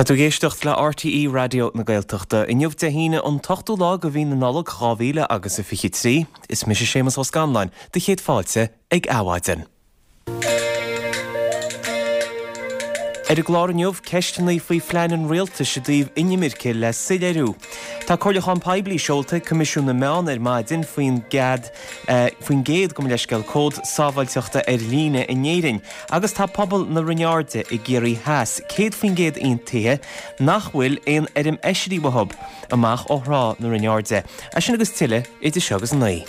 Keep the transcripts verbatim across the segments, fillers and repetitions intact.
Tá tú ag éisteacht le RTÉ Raidió na Gaeltachta. Inniu Dé hAoine an t-ochtú lá de mhí na Nollag dhá mhíle agus a fiche trí. Is mise Séamus Ó Scanláin, do chéad fáilte ag Adhmhaidin. Ar an gclár inniu, ceisteanna faoi phlean an rialtais i dtaobh inimirce le soiléiriú. Tá comhairliúchán poiblí seolta ag Coimisiún na Meán ar maidin faoin gcead faoin gcéad gabh mo leithscéal cód sábháilteachta ar líne in Éirinn agus tá pobal na Rinne Airde i gCiarraí Theas céad faoin gcéad aontaithe nach bhfuil aon fheirm oisrí uathu amach ó thrá na Rinne Airde. É sin agus tuilleadh idir seo agus a naoi.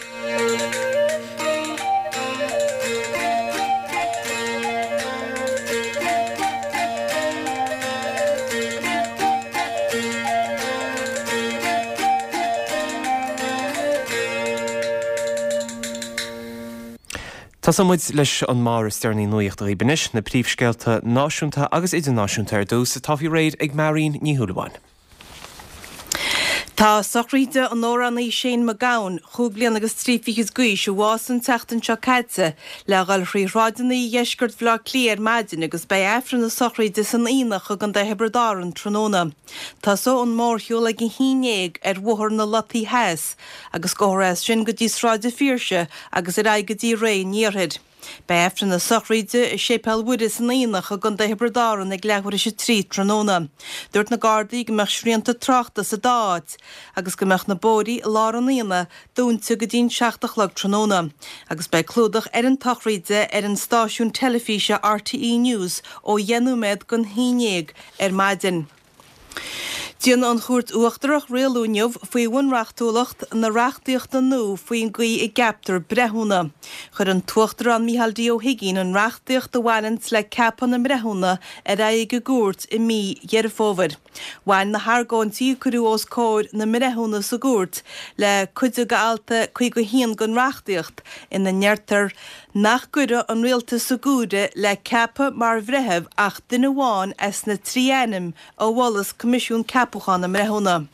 Tosóidh muid leis an mbarr is deireanaí nuachta dhaoibh anois, na príomhscéalta náisiúnta agus idirnáisiúnta ar dtús, atá faoi réir ag Máirín Ní Shúilleabháin. Tá sochraid an amhránaí Shane MacGowan, chúig bliana agus trí fichid d'aois, a bhásaigh an tseachtain seo caite, le dhul thrí shráideanna dheisceart Bhaile Átha Cliath ar maidin agus beidh Aifreann a sochraide san Aonach i gContae Thiobraid Árann tráthnóna. Tosóidh an mórshiúl ag a haon déag ar Bhóthar na Lotaí Theas agus gabhfar as sin go dtí Sráid an Phiarsaigh agus ar aghaidh go dtí Rae an Iarthair. Beidh Aifreann na sochraide i Séipéal Mhuire san Aonach i gContae Thiobraid Árann ag leathuair théis a trí tráthnóna. Dúirt na Gardaí go mbeadh srianta tráchta sa dá áit agus go mbeadh na bóithrí i lár an aonaigh dúnta go dtí'n seacht a chlog tráthnóna. Agus beidh clúdach ar an tsochraid ar an stáisiún teilifíse RTÉ News ó dheich nóiméad don haon déag ar maidin. Déanfaidh an Chúirt Uachtarach rialú inniu faoi bhunreachtúlacht na reachtaíochta nua faoin gcaoi a gceaptar breithiúna. Chuir an tUachtarán Micheál D. Ó hUigínn an reachtaíocht a bhaineanns le ceapadh na mbreithiúna ar aghaidh ag an gcúirt i mí Dheireadh Fómhair. Bhain na hargóintí a cuireadh os comhair na mbreithiúna sa gcúirt le cuid de alt caoga a haon den reachtaíocht ina ndeirtear nach gcuirfeadh an rialtas i gcumhaidh le ceapadh mar bhreitheamh ach duine amháin as na trí ainm a mholas Coimisiún Ceapacháin na mBreithiúna.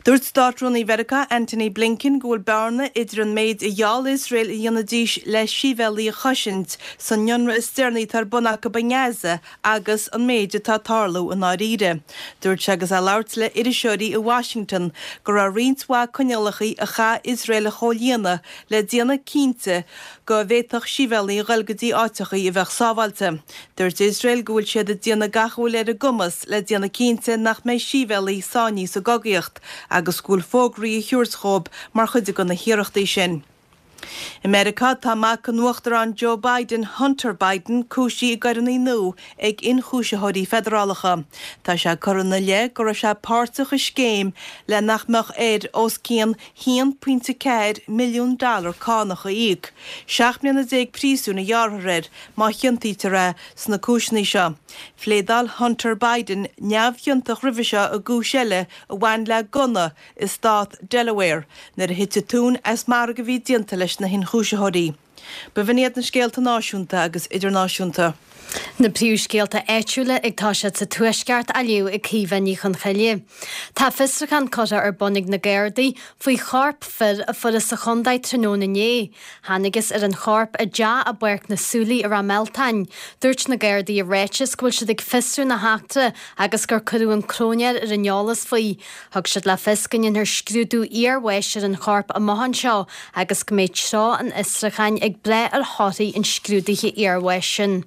Dúirt Státrúnaí Mheiriceá Antony Blinken go bhfuil bearna idir an méid a gheall Iosrael a dhéanfaidís le sibhialaigh a chosaint san ionradh is deireanaí atá ar bun acu i nGaza agus an méid atá ag tarlú i ndáiríre. Dúirt sé agus é ag labhairt le iriseoirí i Washington go raibh roinnt mhaith coinníollacha a chaith Iosrael a chomhlíonadh le déanamh cinnte go bhféadfadh sibhialaigh a dhul go dtí áiteachaí a bheadh sábháilte. Dúirt Iosrael go bhfuil siad ag déanamh gach a bhfuil ar a gcumas le déanamh cinnte nach mbeidh sibhialaigh sáinnithe sa gcogaíocht agus go bhfuil fógraí á thabhairt dhóibh mar chuid de na hiarrachtaí sin. I Meiriceá, tá mac an Uachtaráin Joe Biden, Hunter Biden, cúisithe i gcoireanna nua ag ionchúisitheoirí feidearálacha. Tá sé curtha ina leith go raibh sé páirteach i scéim le nach mbeadh air os cionn haon pointe ceathair milliún dollar cánach a íoc. Seacht mbliana déag príosúin a ghearrfar air má chiontaítear é sna cúiseanna seo. Phléadáil Hunter Biden neamhchiontach roimhe seo i gcúis eile a bhain le gunna i stát Delaware nuair a thit an tóin as margadh a bhí déanta leis na hionchúisitheoirí. B'in iad na scéalta náisiúnta agus idirnáisiúnta. Na príomhscéalta áitiúla ag toiseacht sa Tuaisceart á léamh ag Caoimhe Ní Chonchoille. Tá fiosrúchán curtha ar bun ag na Gardaí faoi chorp fir a fuarthas sa chontae tráthnóna inné. Thángthas ar an chorp i dteach i bPáirc na Súilí i Ráth Mealtain. Dúirt na Gardaí i ráiteas go bhfuil siad ag fiosrú na heachtra agus gur cuireadh an cróinéir ar an eolas faoi. Thug siad le fios go ndéanfar scrúdú iarbháis ar an chorp amach anseo agus go mbeidh treo an fhiosrúcháin ag brath ar thorthaí an scrúdaithe iarbháis sin.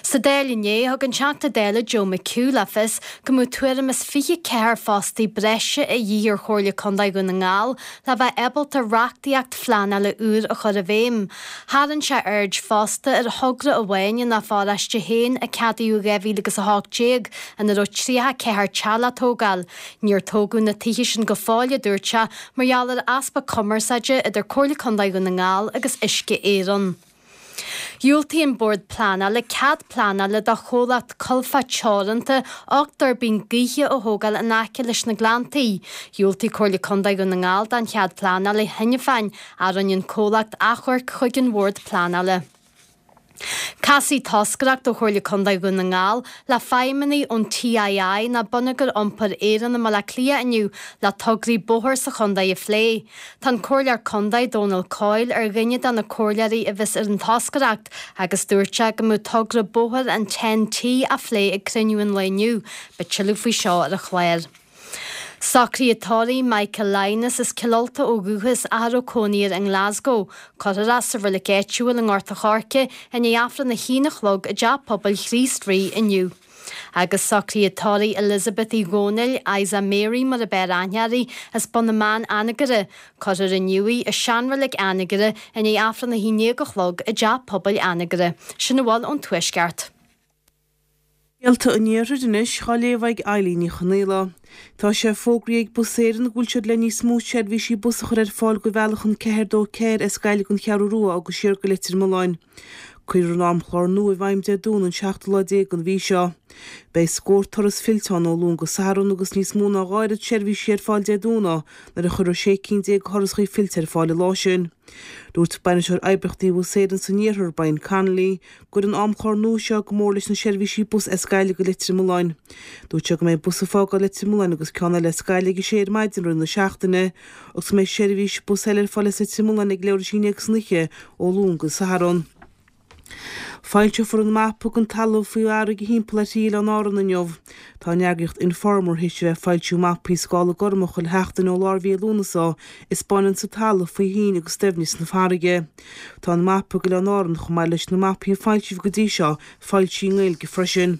Sa Dáil inné, thug an Teachta Dála Joe McHugh le fios go mbeadh tuairim is fiche ceathair fostaí breise a dhíth ar Chomhairle Contae Dhún na nGall le bheith ábalta reachtaíocht phleanála úr a chur i bhfeidhm. Tharraing sé aird fosta ar thogra amháin ina pharóiste féin a ceadaíodh i dhá mhíle agus a hocht déag ina raibh tríocha ceathair teach le tógáil. Níor tógadh na tithe sin go fóill, a dúirt sé, mar gheall ar easpa cumarsáide idir Comhairle Contae Dhún na nGall agus Uisce Éireann. Dhiúltaigh an Bord Pleanála cead pleanála do chomhlacht Colfa Teoranta ocht dtuirbín gaoithe a thógáil in aice leis na Gleanntaí. Dhiúltaigh Comhairle Contae Dhún na nGall don chead pleanála cheana féin ach rinne an comhlacht achomharc chuig an Bhord Pleanála. Casfaidh toscaireacht ó Chomhairle Contae Dhún na nGall le feidhmeannaigh ón TII ná Bonneagar Iompair Éireann i mBaile Átha Cliath inniu le tograí bóthair sa chontae a phlé. Tá an Comhairleoir Contae Dónal Coyle ar dhuine de na comhairleoirí a bheas ar an toscaireacht agus dúirt sé go mbeadh togra bóthair an Ten T á phlé ag cruinniú an lae inniu. Beidh tuilleadh faoi seo ar an chlár. Socruithe tórraimh Michael Lynas as Cill Ulta ó dhúchas ach a raibh cónaí air i nGlasgow. Cuirfear é sa reilig áitiúil i nGort a' Choirce i ndiaidh Aifreann a haon a chlog i dTeach Pobail Chríost Rí inniu. Agus socruithe tórraimh Elizabeth Uí Dhónaill, Isa Mary mar ab fhearr aithne uirthi, as Bun na mBan Anagaire. Cuirfear inniu í i seanreilig Anagaire i ndiaidh Aifreann a haon déag a chlog i dTeach Pobail Anagaire. Sin a bhfuil ón Tuaisceart. Scéalta an Iarthair anois á léamh ag Eilín Ní Chonaola. Tá sé fógraithe ag Bus Éireann go bhfuil siad le níos mó seirbhísí bus a chur ar fáil go bhealach an ceathair dó ceathair as Gaillimh don Cheathrú Rua agus siar go Leitir Mealláin. Cuirfear an amchlár nua i bhfeidhm Dé Domhnaigh an seachtú lá déag den mhí seo. Beidh scór turas fillteán ó Luan go Satharn agus níos mó ná dhá oiread seirbhísí ar fáil Dé Domhnaigh nuair a chuirfear sé cinn déag de thurasachaí fillte ar fáil an lá sin. Dúirt bainisteoir oibríochtaí Bhus Éireann san Iarthar Brian Connolly go gcuireann an amchlár nua seo go mór leis na seirbhísí bus as Gaillimh go Leitir Mealláin. Dúirt sé go mbeidh bus ag fágáil Leitir Mealláin agus ceann eile as Gaillimh ag a sé ar maidin roimh na seachtaine agus go mbeidh seirbhís bus eile ar fáil as Leitir Mealláin ag leathuair tar éis a haon déag san oíche ó Luan go Satharn. Foilseofar an mapa den talamh faoi fharraige thimpeall ar thrí oileán Árann inniu. Tá an eagraíocht Informer théis a bheith ag foilsiú mapaí scála gorma chuile sheachtain ó lár mhí Lúnasa a 'spáineann an talamh faoi thoinn agus doimhneas na farraige. Tá an mapa d'Oileáin Árann chomh maith leis na mapaí a foilsíodh go dtí seo foilsithe i nGaeilge freisin.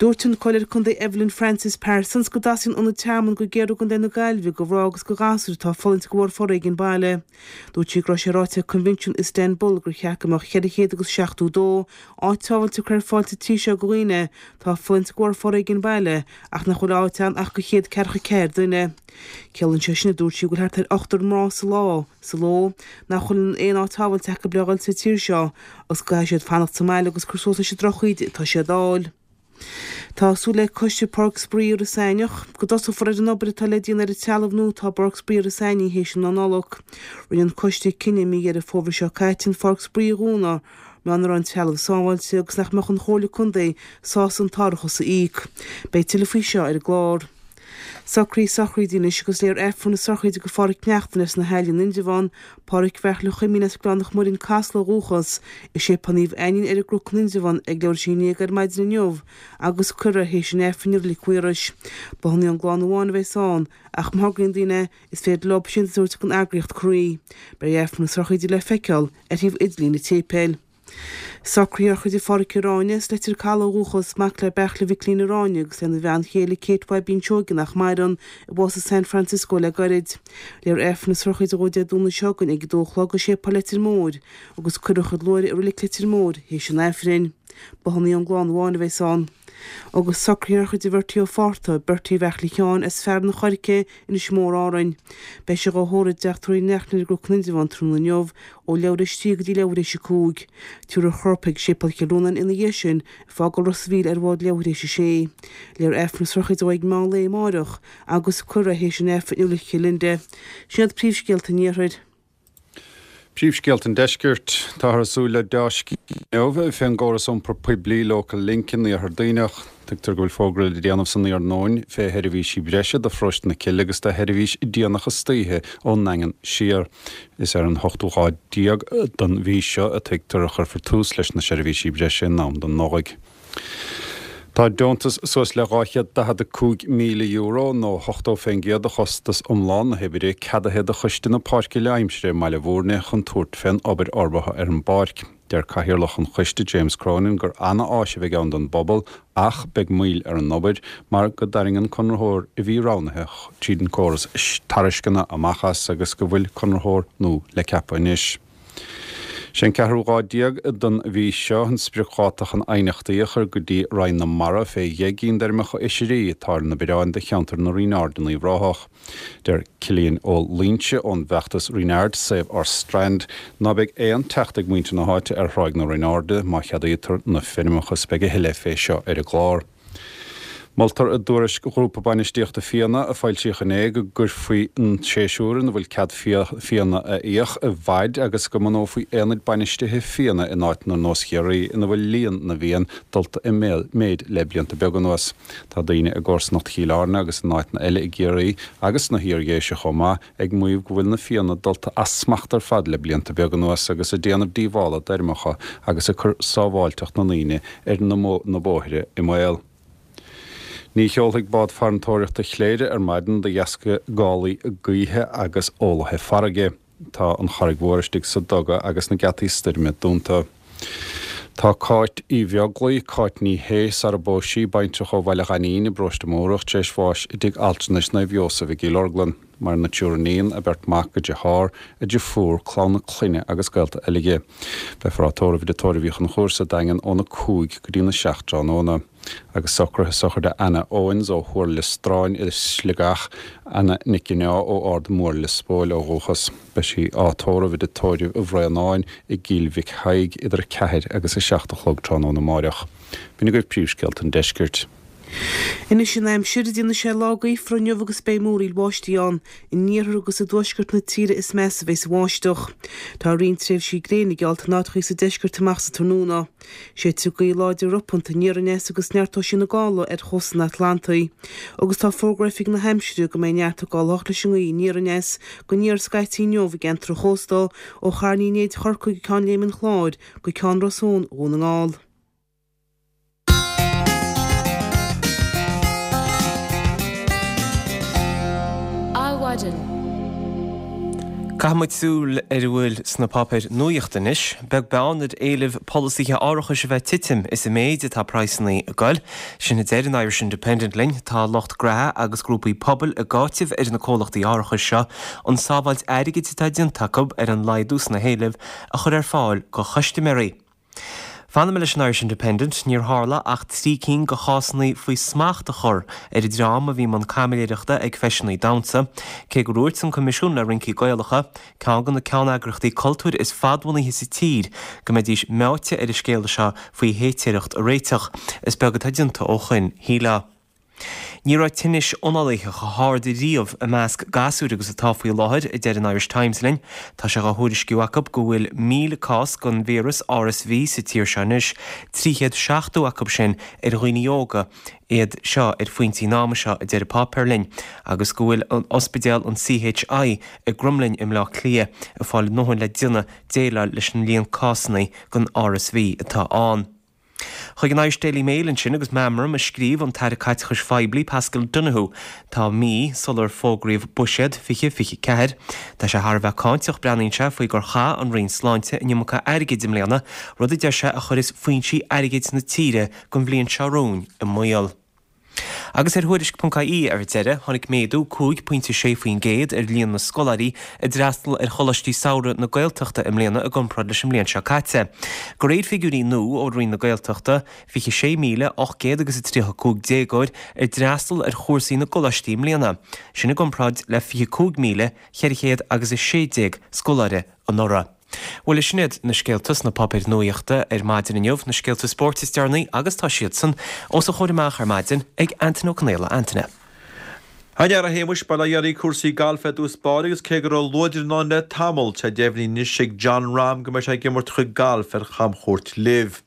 Dúirt an Comhairleoir Contae Evelyn Francis Parsons go dteastaíonn ionad tearmainn go géar ó gContae na Gaillimhe do mhná agus do ghasúir atá ag fulaingt de bharr foréigean baile. Dúirt sí go raibh sé ráite ag Coinbhinsiún Istanbul gur cheart go mbeadh ceithre chéad agus seachtó dó áit sábháilte curtha ar fáil sa tír seo do dhaoine atá ag fulaingt de bharr foréigean baile ach nach bhfuil áit ann ach do chéad ceathracha ceathair duine. Ciallaíonn sé sin a dúirt sí go bhfuil thart ar ochtar mná sa lá sa ló nach bhfuil aon áit sábháilte acu le dhul sa tír seo agus go gcaithfidh siad fanacht sa mbaile agus cur suas leis an drochíde atá siad á fháil. Tá súil ag Coiste Páirc Spraoi Iorras Aithneach go dtosófar ar an obair atá le déanamh ar an trealamh nua atá i bPáirc Spraoi Iorras Aithnigh théis an Nollag. Rinne an coiste cinneadh mí Dheireadh Fómhair seo caite an Pháirc Spraoi a dhúnadh mar nach raibh an trealamh sábháilte agus nach mbeadh an Chomhairle Contae sásta an t-árachas a íoc. Beidh tuilleadh faoi seo ar an gclár. Socruithe sochraide anois agus léifear Aifreann na sochraide do Pháraic Neachtain as na hAille in Indreabhán, Páraic Bheairtle Chuimín as Gleann Mhuirinn Casla ó dhúchas, i Séipéal Naomh Ainnín ar an gCnoc in Indreabhán ag leathuair tar éis a haon déag ar maidin inniu agus cuirfear é théis an Aifrinn i Reilig Mhaorais. B'ionann ón gclann amháin a bheas ann, ach má thograíonn daoine is féidir leo síntiús a thabhairt don eagraíocht Croí. Beidh Aifreann na sochraide le feiceáil ar thaobh idirlín an tséipéil. Socruithe sochraide Pháraic Ráine as Leitir Caladh ó dhúchas, mac le Beairtle Mhicilín Ráine agus lena bhean chéile Kate Bhaibín Seoige nach maireann, a bhásaigh i San Francisco le gairid. Léifear Aifreann na sochraide dhó Dé Domhnaigh seo chugainn ag a dó a chlog i Séipéal Leitir Móir agus cuirfear a chuid luaithre i Reilig Leitir Móir théis an Aifrinn. B'ionann ón gclann amháin a bheas ann. Agus socruithe sochraide Bhertie Ó Fátharta, Bertie Bheairtle Sheáin as Fearann an Choirce, Inis Mór Árainn. Beidh sé dhá thórramh i dteach tórraimh Uí Neachtain ar an gCnoc in Indreabhán tráthnóna inniu ó leathuair tar éis a trí go dtí leathuair tar éis a cúig. Tabharfar a chorp chuig Séipéal Chill Rónáin ina dhiaidh sin, ag fágáil Ros an Mhíl ar bhád leathuair tar éis a sé. Léifear Aifreann na sochraide dó ag meán lae amárach agus cuirfear é théis an Aifrinn i Reilig Chill Linde. Sin iad príomhscéalta an Iarthair. Príomhscéalta an Deiscirt Táthar ag súil le dea-scéal inniu fén gcóras iompar poiblí Local Link in Iarthar Duibhneach. Tuigtear go bhfuil fógra le déanamh san iarnóin fé sheirbhísí breise do pharóiste na Cille agus do sheirbhís déanach istoíche ón nDaingean siar. Is ar an ochtú lá déag den mhí seo a tuigtear a chuirfear tús leis na seirbhísí breise in am don Nollaig. Tá deontas suas le dhá chéad daichead a cúig míle euro nó ochtó faoin gcéad de chostas iomlán na hoibre ceadaithe do choiste na Páirce Leath-Aimsire i mBaile Bhúirne chun tabhairt fén obair fhorbartha ar an bpáirc. Deir Cathaoirleach an choiste James Cronin gur an-áis a bheidh ann don bpobal ach beidh moill ar an obair mar go dtarraing an conraitheoir a bhí roghnaithe tríd an córas tairisceana amach as agus go bhfuil conraitheoir nua le ceapadh anois. Sé an ceathrú lá déag den mhí seo an spriocdháta chun aighneachtaí a chur go dtí Roinn na Mara fé dheich gcinn d'fheirmeacha oisrí atá ar na bioráin do cheantar na Rinne Aird in Uíbh Ráthach. Deir Cillian Ó Loinsigh ón bhfeachtas Reenard Save Our Strand ná beidh aon teacht ag muintir na háite ar Thráigh na Rinne Airde má cheadaítear na feirmeacha is beidh a thuilleadh fé seo ar an gclár. Moltar i dtuairisc Ghrúpa Bainistíochta Fianna a foilsíodh inné go gcuirfí an séasúr ina bhfuil cead fianna a fhiach i bhfaid agus go mbunófaí aonaid bainistithe fianna in áiteanna ar nós Chiarraí ina bhfuil líon na bhfiann dulta i méid le blianta beaga anuas. Tá daoine i gcomharsanacht Chill Airne agus in áiteanna eile i gCiarraí agus sna hIardhéise chomh maith ag maíomh go bhfuil na fianna dulta as smacht ar fad le blianta beaga anuas agus ag déanamh díobhála d'fheirmeacha agus ag cur sábháilteacht na ndaoine ar na bóithre i mbaol. Ní sheolfaidh bád farantóireachta Chléire ar maidin de dheasca gálaí gaoithe agus olaithe farraige. Tá an Charraig Mhór istigh sa duga agus na geataí stoirme dúnta. Tá Cáit Uí Bheaglaoi, Cáit Ní Shé, sara bpós sí, baintreach ó Bhaile Ghainín i bparóiste Mórdhach, tar éis bháis i dtigh altranais Naomh Iósaf i gCill Orglan. Maireann a triúr iníon, a beirt mac, a deartháir, a deirfiúr, clann a clainne agus gaolta eile di. Beifear á tórramh i dTigh Tórraimh Uí Chonchúir sa Daingean óna cúig go dtína seacht tráthnóna. Agus socruithe sochraide Anna Owens ó Thuar Lios Stráin i Sligeach, Anna Nic Ginneá ó Ard Mór Lios Póil ó dhúchas. Beidh sí á tórramh i dTigh Tórraimh Uí Bhraonáin i gCill Mhic Thaidhg idir a ceathair agus a seacht a chlog tráthnóna amáireach. B'in agaibh príomhscéalta an deiscirt. Anois an aimsir, déanfaidh sé lá gaofar inniu agus beidh múraíl bháistí ann. In iarthar agus i dtuaisceart na tíre is measa a bheas an bháisteach. Tá roinnt tréimhsí gréine geallta in áiteachaí sa deisceart amach sa tráthnóna. Séidfidh gaoth láidir ropanta aniar aneas agus neartóidh sí na gála ar chósta an Atlantaigh. Agus tá fógra Oifig na hAimsire go mbeidh neart ag gabháil leis an ngaoth aniar aneas go aniar scaití inniu i gceantar an chósta ó Charn Uí Néid Chorcaí go Ceann Léime an Chláir go Ceann Ros Eoin Dhún na nGall. Adhmhaidin. Caithfidh muid súil ar a bhfuil sna páipéir nuachta anois. Beag beann ar éilimh polasaithe árachais a bheith ag titim, is i méid atá praghsanna ag goil. Sin a deir an Irish Independent linn. Tá lucht graithe agus grúpaí pobail ag áiteamh ar na comhlachtaí árachais seo an sábháilt airgid atá déanta acu ar an laghdú sna héilimh a chur ar fáil go chustaiméirí. Fanfaidh mé leis an Irish Independent, níor tharla ach trí cinn de chásanna faoi smacht a chur ar an dream a bhí i mbun caimiléireachta ag feiseanna damhsa, cé gur dhúirt an Coimisiún le Rincí Gaelacha, ceann de na ceanneagraíochtaí cultúir is fadbhunaithe sa tír, go mbeidís meáite ar an scéala seo faoi shéitéireacht a réiteach. Is beag atá déanta ó shoin, shílfeá. Ní raibh tinnis análaithe chomh hard riamh i measc gasúir agus atá faoi láthair, a deir an Irish Times linn. Tá sé á thuairisciú acu go bhfuil míle cás den víreas R S V sa tír seo anois, trí chéad seachtó acu sin ar dhaoine óga iad seo ar phointí an ama seo, a deir an páipéar linn, agus go bhfuil an ospidéal an C H I i gCromghlinn i mBleá Cliath ag fáil a ndóthain le déanamh déileáil leis an líon cásanna den R S V atá ann. Chuig an Irish Daily Mail ansin agus meamram a scríobh an tAire Caiteachais Phoiblí Paschal Donohoe tá mí sular fógraíodh buiséad fiche fiche ceathair. Tá sé thar a bheith cáinteach, breathnaíonn sé faoi gur chaith an Roinn Sláinte an iomarca airgid i mbliana, rud a deir sé a chuireas foinsí airgid na tíre don bhliain seo romhainn i mbaol. Agus ar thuairisc ponc I E ar deireadh, tháinig méadú cúig pointe sé faoin gcéad ar líon na scoláirí a d'fhreastail ar Choláistí Samhraidh na Gaeltachta i mbliana i gcomparáid leis an mbliain seo caite. De réir figiúirí nua ó Roinn na Gaeltachta, fiche sé míle ocht gcéad agus a tríocha cúig déagóir ar d'fhreastail ar chúrsaí na gcoláistí i mbliana, sin i gcomparáid le fiche cúig míle ceithre chéad agus a sé déag scoláire anuraidh. Bhuel, sin iad na scéalta sna páipéir nuachta ar maidin inniu, na scéalta spóirt is deireanaí, agus tá siadsan os a chomhair amach ar maidin ag Antaine Ó Conaola. Antaine. Thar a Shéamuis, ba le iarraidh cúrsaí gailf i dtús báire agus cé go raibh luaidreamh ann le tamall, tá deimhnithe anois ag Jon Rahm go mbeidh sé ag imirt a chuid gailf ar chamchuairt LIV.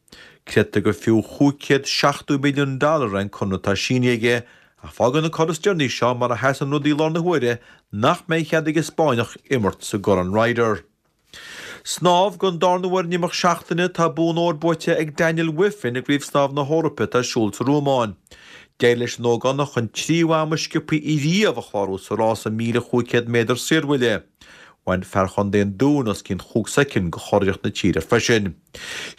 Creidtear gur fiú chúig chéad seachtó milliún dollar an conradh atá sínithe aige, ach fágann an cor is deireanaí seo mar a sheasann rudaí i láthair na huaire nach mbeidh cead ag an Spáinneach imirt sa gCorn Ryder. Snámh don darna huair in imeacht seachtaine tá bonn óir buaite ag Daniel Wiffen i gCraobh Snámh na hEorpa atá ar siúl sa Rómáin. D'éirigh leis an ógánach an tríú am is sciobtha riamh a chlárú sa rása míle chúig chéad méadar saorbhuille. Bhain fear chontae an Dúin os cionn chúig soicind go churiarracht na tíre freisin.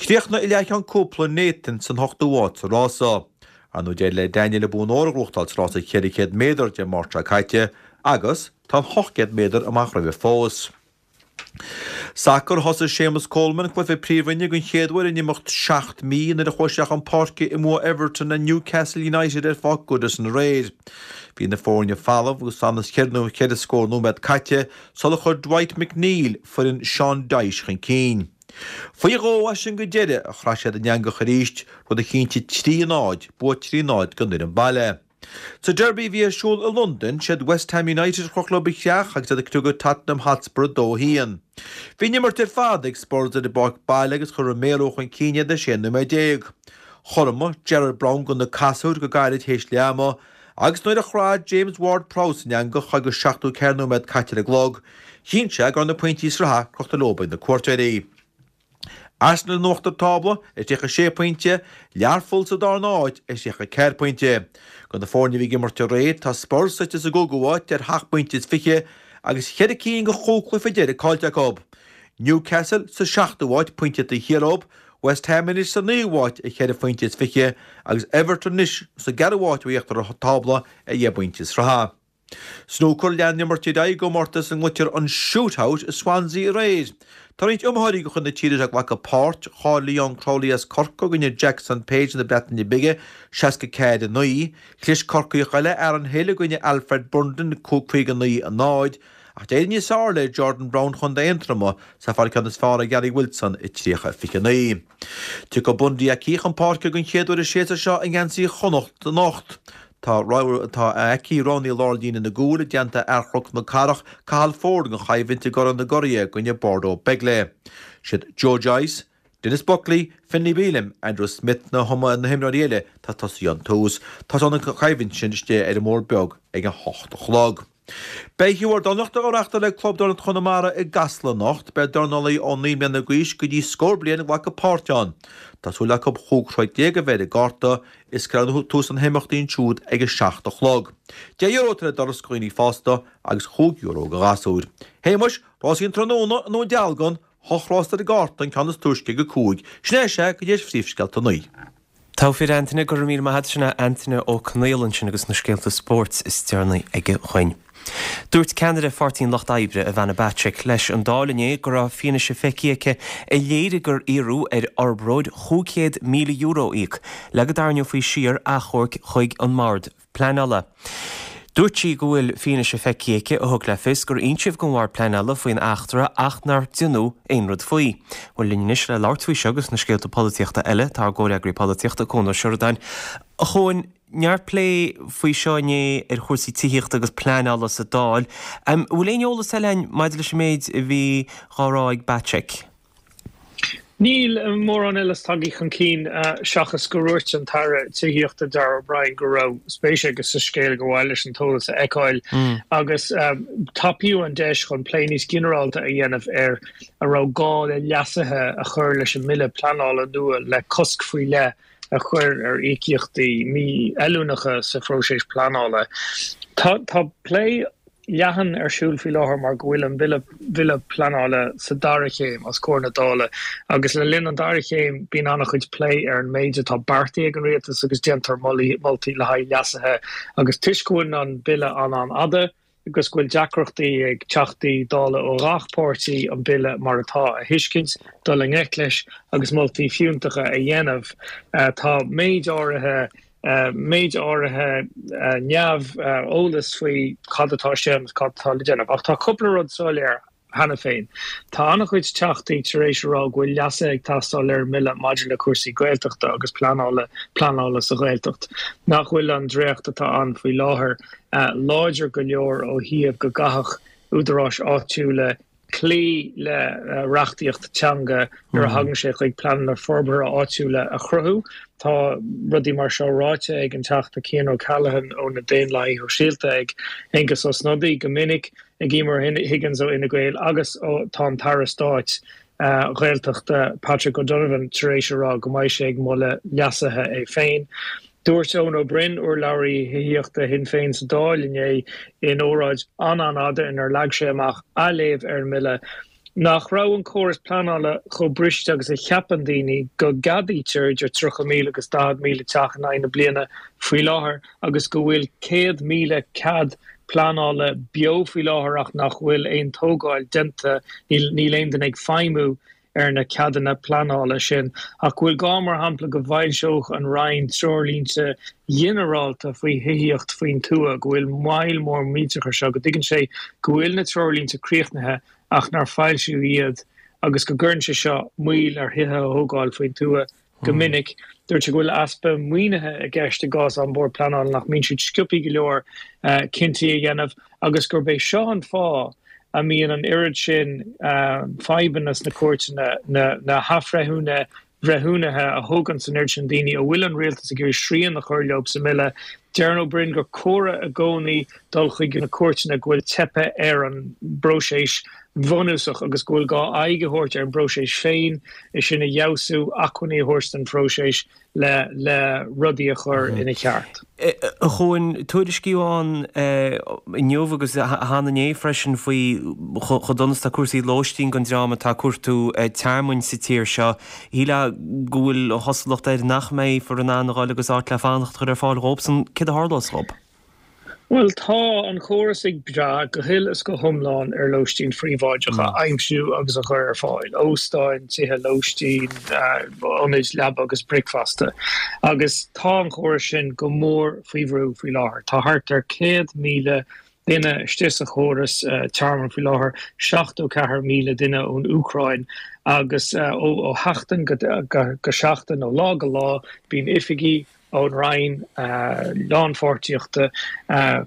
Chríochnaigh i leathcheann cúpla Nathan san ochtú háit sa rása. Ar ndóigh d'éirigh le Daniel a bonn óir a ghnóthachtáil sa rása ceithre chéad méadar Dé Máirt seo caite agus tá an hocht gcéad méadar amach roimhe fós. Sacar thosaigh Séamus Coleman cluiche príomhroinne den chéad uair in imeacht seacht mí nuair a chuaigh sé chun páirce i mbua Everton a Newcastle United ar Pháirc Goodison aréir. Bhí na foirne falamh agus anas ceithre nó ceithre scór nóiméad caite sular chuir Dwight McNeil foireann Sean Dyche chun cinn. Faoi dhó as sin go deireadh a chraith siad an eangach arís, rud a chinntigh trí a náid, bua trí náid don fhoireann baile. Sa Derby a bhí ar siúl i Londain, siad West Ham United a chroch leo a chreach agus iad ag criogadh Tottenham Hotspur a dó a haon. Bhí an imirt ar fad ag Spurs ar a bpáirc baile agus chuir Romero chun cinn iad ar sé nóiméad déag. Chothromaigh Jarrod Brown do na casúir go gairid théis leath ama agus nuair a chraith James Ward-Prowse an eangach agus seachtó ceathair nóiméad caite ar an gclog, chinn sé go raibh na pointí sraithe crochta leo ag na cuairteoirí. Arsenal in uachtar tábla ar tríocha sé pointe, Learpholl sa darna háit ar thríocha ceathair pointe. De na foirne a bhí ag imirt aréir, tá Spurs suite sa gcúigiú háit ar sheacht bpointe is fiche agus cheithre cinn de chúig chluiche deiridh caillte acu. Newcastle sa seachtú háit, pointe taobh thiar dóibh, West Ham anois sa naoú háit ar cheithre phointe is fiche agus Everton anois sa gceathrú háit ó íochtar an tábla ar dheich bpointe is tríocha. Snúcar lean an imirt ar aghaidh i gcomórtas a nglaoitear an Shoot-Out i Swansea aréir. Tá roinnt iomaitheoirí de chuid na tíre seo ag glacadh páirt, cháiligh Leon Crowley as Corcaigh i gcoinne Jackson Page na Breataine Bige, seasca ceathair a naoi. Chlis Corcaíoch eile, Aaron Hill i gcoinne Alfred Bundon, caoga naoi a náid. Ach d'éirigh níos fearr le Jordan Brown Chontae Aontroma is é ag fáil an ceann is fearr ar Gary Wilson a tríocha fiche naoi. Tiocfaidh Bundee Aki chun páirce den chéad uair an séasúr seo i ngeansaí Chonnacht anocht. Tá tá Aki roghnaithe i lár líne na gcúl i dteannta fhear Chnoc na Cathrach, Cathal Forde don choimhlint i gCorn na gCuraithe i gcoinne Bordeaux Bègles. Siad Joe Joyce, Denis Buckley, Finlay Bealham, Andrew Smith na na himreoirí eile atá ag tosaí ón tús. Tosóidh an choimhlint sin istigh ar an mBóthar Beag ag a hocht a chlog. Beidh Hiúr Dornálaíochta á reáchtáil ag Club Dornálaíochta Chonamara i gCasla anocht. Beidh dornálaí ó naoi mbliana d'aois go dtí scór bliain ag glacadh páirt ann. Tá súil acu chúig throid déag a bheith ar an gcárta. Is cuirfear tús leis na himeachtaí ansiúd ag a seacht a chlog. Deich euro atá ar an doras do dhaoine fásta agus chúig euro do ghasúir. Shéamais, rásaí an tráthnóna i nDún Dealgan, hocht rás ar an gcárta, an ceann is túisce ag a cúig. Sin é sea go dtí phríomhscéalta a naoi. Togha fir Antaine, go raibh míle maith agat, sin é Antaine Ó Conaola ansin agus na scéalta spóirt is deireanaí aige chugainn. Dúirt ceannaire Pháirtí an Lucht Oibre, Ivana Bacik, leis an Dáil inné go raibh fianaise feicthe aici a léirigh gur iarradh ar fhorbróir chúig chéad míle euro a íoc le go dtarraingeofaí siar achomharc chuig an mBord Pleanála. Dúirt sí go bhfuil fianaise feicthe aici a thug le fios gur insíodh don Bhord Pleanála faoin eachtra ach nár deineadh aon rud faoi. Bhuel linn anois le labhairt faoi seo agus na scéalta polaitíochta eile tá ár gcomhfhreagraí polaitíochta Cuan Ó Seireadáin. A Chuain, neart plé faoi seo inné ar chúrsaí tithíochta agus pleanála sa Dáil. An bhfuil aon eolas eile againn maidir leis an méid a bhí á rá ag Bacik? Níl mórán eile tagtha chun cinn seachas gur dhúirt an tAire Tithíochta Darragh O'Brien go raibh spéis aige sa scéal gur mhaith leis an t-eolas a fheiceáil agus tapaíodh an deis chun plé níos ginearálta a dhéanamh ar a raibh gá le leasuithe a chur leis an mbille pleanála nua le cosc faoi leith a chur ar íocaíochtaí mífheiliúnacha sa phróiseas pleanála. Tá tá plé leathan ar siúl faoi láthair mar go bhfuil an bille bille pleanála sa dara chéim os comhair na Dála agus le linn an dara chéim bíonn an-chuid plé ar an méid atá beartaithe ag an rialtas agus déantar moltaí le haghaidh leasuithe agus toisc go bhfuil an bille an-an-fhada agus go bhfuil deacrachtaí ag teachtaí Dála ó ghach páirtí an bille mar atá a thuiscint, dul i ngleic leis agus moltaí fiúntacha a dhéanamh. Tá méid áirithe méid áirithe neamheolas faoi cad atá sé agus cad atá le déanamh. Ach tá cúpla rud soiléir cheana féin. Tá an-chuid teachtaí tar éis a rá go bhfuil leasuithe ag teastáil ar an mbille maidir le cúrsaí Gaeltachta agus pleanála pleanála sa Ghaeltacht, nach bhfuil an dréacht atá ann faoi láthair láidir go leor ó thaobh go gcaithfeadh údaráis áitiúla cloí le reachtaíocht teanga nuair a thagann sé chuig pleananna forbartha áitiúla a chruthú. Tá rudaí mar seo ráite ag an Teachta Cian O'Callaghan ó na Daonlathaithe Sóisialta, ag Aengus Ó Snodaigh go minic, ag Emer Higgins ó Fhine Gael agus tá an tAire Stáit Gaeltachta Patrick O'Donovan tar éis a rá go mbeidh sé ag moladh leasuithe é féin. Dúirt Eoin Ó Broin, urlabhraí thithíochta Shinn Féin sa Dáil inné in óráid an-an-fhada inar leag sé amach a léamh ar an mbille, nach raibh an córas pleanála chomh briste agus a cheapann daoine, go gceadaítear idir tríocha míle agus daichead míle teach in aghaidh na bliana faoi láthair agus go bhfuil céad míle cead pleanála beo faoi láthair ach nach bhfuil aon tógáil déanta, níl aon duine ag feidhmiú ar na ceadanna pleanála sin, ach go bhfuil gá, mar shampla, go bhfoilseodh an Roinn treoirlínte ginearálta faoi thithíocht faoin tuath, go bhfuil moill mhór millteach ar seo, go dtuigeann sé go bhfuil na treoirlínte críochnaithe ach nár foilsíodh iad agus go gcuireann sé seo moill ar thithe a thógáil faoin tuath go minic. Dúirt sé go bhfuil easpa maoinithe i gceist i gcás An Bord Pleanála nach mbíonn siad sciobtha go leor cinntí a dhéanamh agus gurb é seo an fáth a mbíonn an oiread sin fadhbanna sna cúirteanna, na hathbhreithiúna breithiúnaithe a thógann an oiread sin daoine a bhfuil an rialtas ag iarraidh srian a chur leo sa mbille. Deireann Ó Broin gur córa i gcónaí dul chuig na cúirteanna go bhfuil teipthe ar an bpróiseas bhunúsach agus go bhfuil gá aghaidh a thabhairt ar an bpróiseas féin, é sin a fheabhsú, acmhainní a thabhairt don phróiseas le le rudaí a chur ina cheart. A Chuain, tuairiscíodh ann inniu agus cheana inné freisin faoi chomh dona is atá cúrsaí lóistín don dream atá ag cuartú tearmainn sa tír seo. Shílfeá go bhfuil an chosúlacht air nach mbeifear in ann a dhul agus áit le fanacht a chur ar fáil dhóibhsan. Céard a tharlós dhób? Bhuel, tá an córas ag brath go huile is go hiomlán ar lóistín phríobháideach a aimsiú agus a chur ar fáil, óstáin, tithe lóistín, ionaid leaba agus bricfeasta, agus tá an córas sin go mór faoi bhrú faoi láthair. Tá thart ar céad míle duine istigh sa chóras tearmainn faoi láthair, seachtó ceathair míle duine ón Úcráin, agus ó sheachtain go seachtain, ó lá go lá, bíonn oifigigh ón Roinn Lánpháirtíochta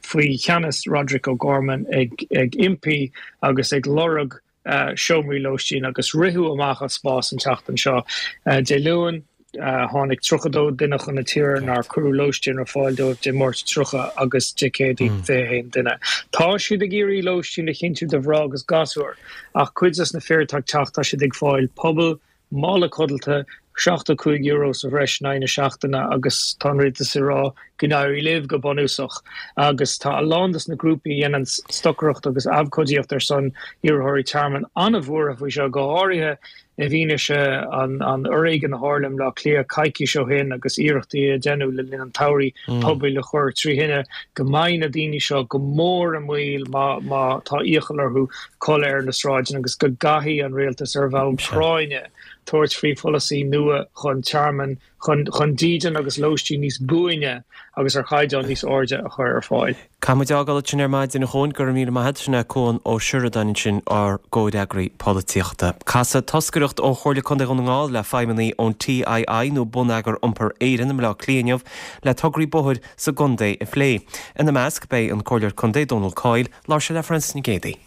faoi cheannas Roderic O'Gorman ag impí agus ag lorg seomraí lóistín agus ritheadh amach as spás an tseachtain seo. Dé Luain, tháinig tríocha dó duine chun na tíre nár cuireadh lóistín ar fáil dóibh, Dé Máirt tríocha agus Dé Céadaoin fiche a haon duine. Tá siad ag iarraidh lóistín a chinntiú do mhná agus gasúir ach cuid des na fir atá ag teacht tá siad ag fáil puball, mála codlata, seachtó cúig euro sa bhreis in aghaidh na seachtaine agus tá an rialtas ag rá go n-éirí libh go bunúsach agus tá a lán des na grúpaí a dhéanann stocaireacht agus abhcóidíocht ar son iarrthóirí tearmainn an-bhuartha faoi seo, go háirithe i bhfianaise an fhoréigin a tharla i mBleá Cliath coicís ó shin agus iarrachtaí a deineadh le linn an tsamhraidh pubaill a chur trí thine, go mbeidh na daoine seo go mór i mbaol má má tá iachall orthu codladh ar na sráideanna agus go gcaithfidh an rialtas ar bhonn práinne tabhairt faoi pholasaí nua chun tearmann, chun chun dídean agus lóistín níos buaine agus ar chaighdeán níos airde a chur ar fáil. Caithfidh muid fágáil ansin ar maidin a Chuain, go raibh míle maith agat, sin é Cuan Ó Seireadáin ansin, ár gcomhfhreagraí polaitíochta. Casfaidh toscaireacht ó Chomhairle Contae Dhún na nGall le feidhmeannaigh ón TII nó Bonneagar Iompair Éireann i mBleá Cliath inniu le tograí bóthair sa gcontae a phlé. Ina measc beidh an Comhairleoir Contae Dónal Coyle, labhair sé le Frances Nic Géadaigh.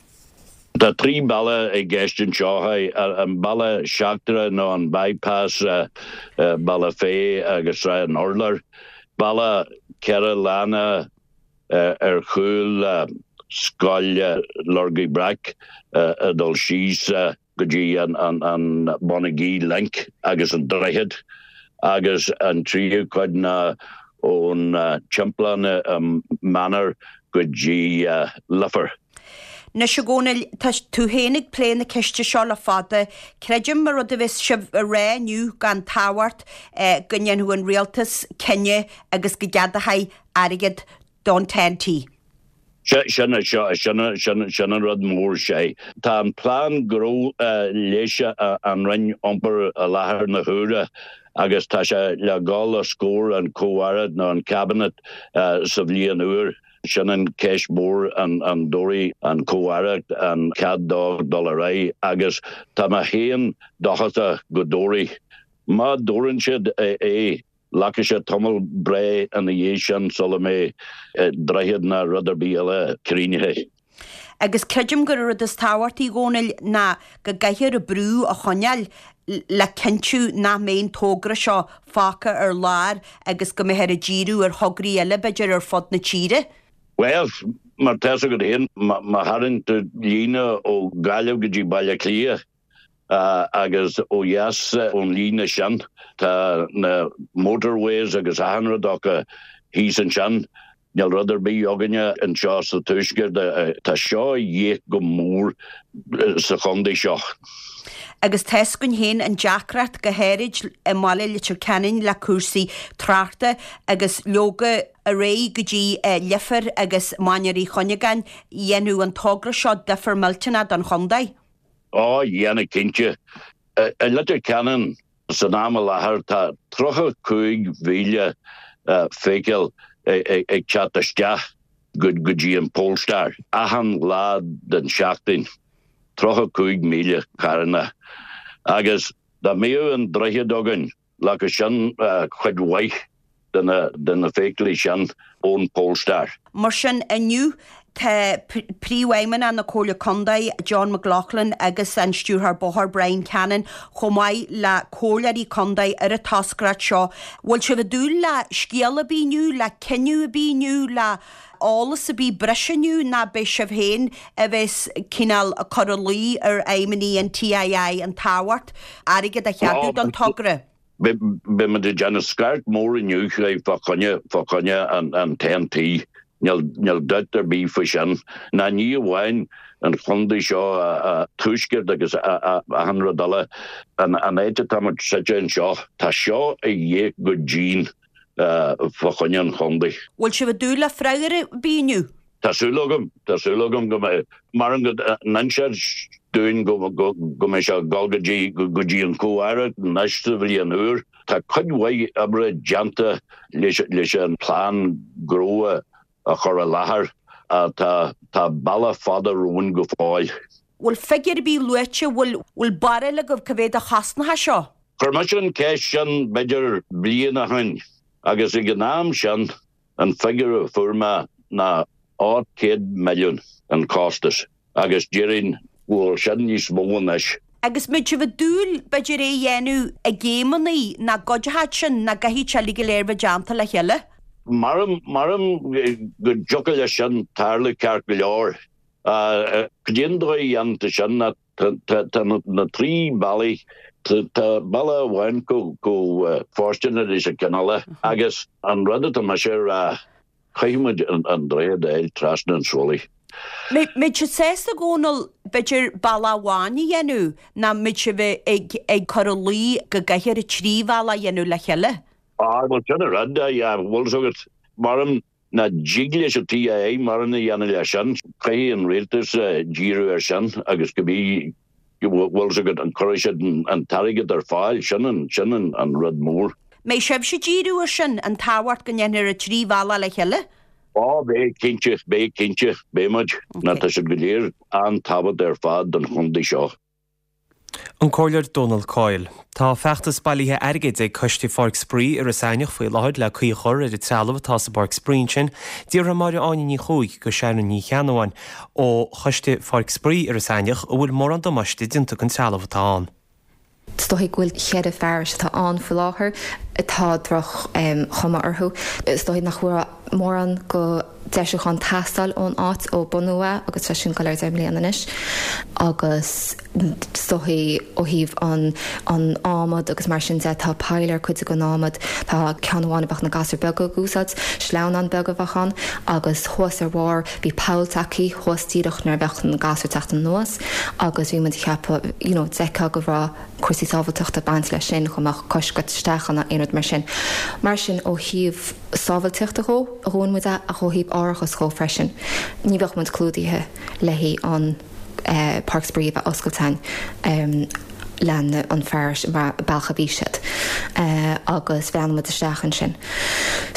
Tá trí bealach i gceist anseo, an bealach seachtrach nó an bypass, Bealach Féich agus Srath an Urláir, bealach ceithre lána ar chúl Scoil Lorgaí Breac ag dul síos go dtí an Bonagee Link agus an droichead agus an tríú cuid ná ón Tiomplann i Manor go dtí Leifear. Anois a Dhónaill, tá tú féin ag plé na ceiste seo le fada. Creidim an rud a bheas sibh a rá inniu gan tábhacht go ndéanfadh an rialtas cinneadh agus go gceadófaí airgead don TEN-T. Sin sin an rud mór sé. Tá an plean gnó leis an Roinn Iompair i láthair na huaire agus tá sé le dhul os comhair an Comh-Aireacht nó an Cabinet sa bhliain úr. Sin an ceist mhór an dtabharfaidh an Comh-Aireacht an cead dó dul ar aghaidh agus tá mé féin dóchasach go dtabharfaidh. Má dtabharann siad é, glacfaidh sé tamall breá ina dhiaidh sin sula mbeidh droichead ná rud ar bith eile críochnaithe. Agus creidim gur an rud is tábhachtaí, a Dhónaill, ná go gcaithfear an brú a choinneáil le cinntiú nach mbeidh an togra seo fágtha ar lár agus go mbeifear ag díriú ar thograí eile, b'fhéidir, ar fud na tíre. Bhuel, mar tá 'fhios agat féin, má tharraing tú líne ó Ghaillimh go dtí Baile Átha Cliath agus ó dheas ón líne sin, tá na motorways agus achan rud acu thíos ansin. Níl rud ar bith againne anseo sa Tuaisceart. Tá seo a dhíth go mór sa chontae seo. Agus tá 'fhios againn féin an deacracht, go háirid i mbaile Leitir Ceanainn le cúrsaí tráchta agus leoga ar aghaidh go dtí Leifear agus Mainéar Uí Chuinneagáin, dhéanfadh an togra seo difear millteanach don chontae. Ó, dhéanfadh cinnte. I Leitir Ceanainn san am i láthair tá tríocha cúig mhíle feithicil ag teacht isteach go dtí an Polestar achan lá den seachtain. tríocha cúig míle carranna agus dá mbeadh an droichead againn leagfadh sin cuid mhaith de na de na feithiclí sin ón Polestar. Mar sin, inniu tá Príomhfheidhmeannach na Comhairle Contae, John McLaughlin agus an Stiúrthóir Bóthair, Brian Cannon, chomh maith le comhairleoirí contae ar an toscaireacht seo. Bhfuil sibh ag dúil le scéal ar bith inniu, le cinneadh ar bith inniu, le eolas ar bith breise inniu nó beidh sibh féin a bheas cineál ag cur a luí ar fheidhmeannaigh an TII an tábhacht airgead a cheadú don togra? Beidh muid ag déanamh scairt mór inniu fá choinne fá choinne an TEN-T. Níl níl dabht ar bith faoi sin. Ná ní amháin an chontae seo tuaisceart agus achan rud eile. An áit atá muid suite anseo, tá seo a dhíth go dian fá choinne an chontae. Bhfuil sibh ag dúil le freagra ar bith inniu? Tá súil agam, tá súil agam go mbeidh, maram go n-inseoidh dúinn go mbeidh sé ag dul go dtí, go dtí an Comh-Aire anois sa bhliain úr. Tá cuid mhaith oibre déanta leis, leis an plean gnó a chur i láthair ach tá, tá bealach fada romhainn go fóill. Bhfuil figiúr ar bith luaite, bhfuil, bhfuil barúil agaibh cá mhéad a chosnóidh seo? Chuir mise an cheist sin b'fhéidir bliain ó shin agus ag an am sin an figiúr a fuair mé ná ocht céad milliún an costas agus déarfainn go bhfuil sin níos mó anois. Agus mbeidh sibh ag dúil b'fhéidir é a dhéanamh i gcéimeanna nó i gcuideachta sin nó gcaithfidh sé uilig go léir bheith déanta le chéile? Maram, maram go dtiocfadh leis sin tarlú ceart go leor. Cad é an dóigh a dhéantar sin ná tá na trí bealaí, tá bealach amháin chomh fóirsteanach leis an gceann eile agus an rud atá mise a rá, Caithfidh muid an droichead a fháil trasna an Swilly. Mbeidh sibh sásta, a Dhónaill, b'fhéidir bealach amháin a dhéanamh nó mbeidh sibh ag ag cur a luí go gcaithfear an trí bhealach a dhéanamh le chéile? Ah, bhuel sin an rud, yeah, bhfuil 's agat, maram nach dtig leis an TII mórán a dhéanamh leis sin, caithfidh an rialtas díriú air sin agus go mbí Bhfuil 's agat, an cuirfidh siad an t-airgead ar fáil, sin an, sin an rud mór. Mbeidh sibhse ag díriú ar sin, an tábhacht go ndéanfar an trí bhealach le chéile? Á, beidh, cinnte, beidh, cinnte, beidh muid. Nó tá siad go léir an-tábhachtach ar fad don chontae seo. An Comhairleoir Dónal Coyle. Tá feachtas bailithe airgid ag Coiste Pháirc Spraoi Iorras Aithneach faoi láthair le caoi a chur ar an trealamh atá sa bpáirc spraoi ansin. D'fhiafraigh Máire Áine Ní Chuaig go Sharon Ní Cheannabháin ó Choiste Pháirc Spraoi Iorras Aithneach an bhfuil mórán damáiste déanta den trealamh atá ann. Is dóigh go bhfuil cheithre fearais atá ann faoi láthair atá droch chuma orthu. Is dóigh nach bhfuil mórán go deisiúchán teastáil ón áit ó bunú é agus tá sin ag dul ar deich mbliana anois agus is dóigh ó thaobh an an adhmad agus mar sin de tá poill ar cuid den adhmad tá ceann amháin a bheadh na gasúir beaga ag úsáid, sleamhnán beag a bheadh ann agus thuas ar bharr bhí poll tagtha thuas díreach nuair a bheadh na gasúir ag teacht anuas agus bhí muid ag ceapadh you know d'fheicfeá go raibh cúrsaí sábháilteachta ag baint leis sin go mbeadh cois ag goil isteach ann nó aon rud mar sin. Mar sin ó thaobh sábháilteachta dhó a dhúin muid é ach ó thaobh árachas dhó freisin ní bheadh muid clúdaithe le haghaidh an páirc spraoi a bheith oscailte againn le an fearais mar bealach a bhí siad agus bhreathnaigh muid isteach ansin.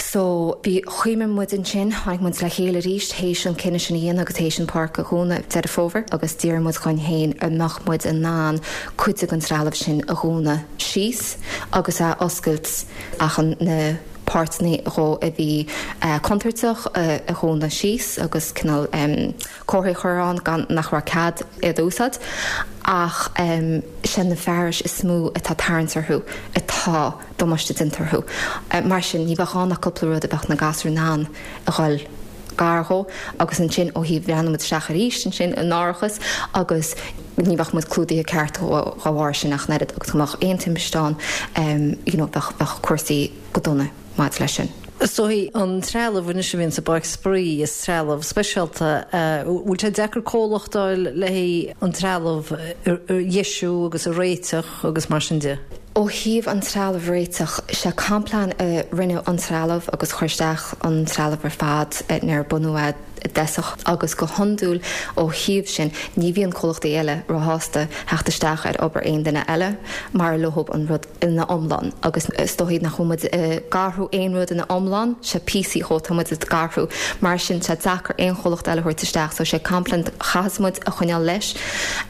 So bhí chuimhnigh muid ansin, tháinig muid le chéile arís théis an cinneadh sin a dhéanamh agus théis an páirc a dhúnadh Deireadh Fómhair agus d'iarr muid chugainn féin an mbeadh muid in ann cuid den trealamh sin a dhúnadh síos agus a oscailt ach an na páirteanna dhó a bhí contúirteach a dhúnadh síos agus cineál comharthaí a chur ann gan nach raibh cead iad a úsáid ach sé na fearais is mó atá tarraingt orthu atá damáiste déanta orthu. Mar sin ní bheadh ann ach cúpla rud a bheadh na gasúir in ann a dhul gar dhó agus ansin ó thaobh bhreathnaigh muid isteach arís ansin in árachas agus ní bheadh muid clúdaithe ceart dá bharr sin ach an oiread agus go mbeadh aon timpiste ann you know bheadh bheadh cúrsaí go dona maidir leis sin. Is dóigh an trealamh anois a bhíonn sa bpáirc spraoi, is trealamh speisialta, bhfuil sé deacair comhlacht a fháil le haghaidh an trealamh a dheisiú agus a réiteach agus mar sin de? Ó thaobh an trealamh réiteach, sé Complan a rinne an trealamh agus chuir isteach an trealamh ar fad nuair a bunú é i dtosach agus go hiondúil ó thaobh sin ní bhíonn comhlachtaí eile róshásta theacht isteach ar obair aon duine eile mar leob an rud ina iomlán agus is dóigh nach bhfuil muid ag athrú aon rud ina iomlán sé píosaí dhó tá muid ag athrú mar sin sé deacair aon chomhlacht eile a thabhairt isteach so sé complaint chaithfidh muid a choinneáil leis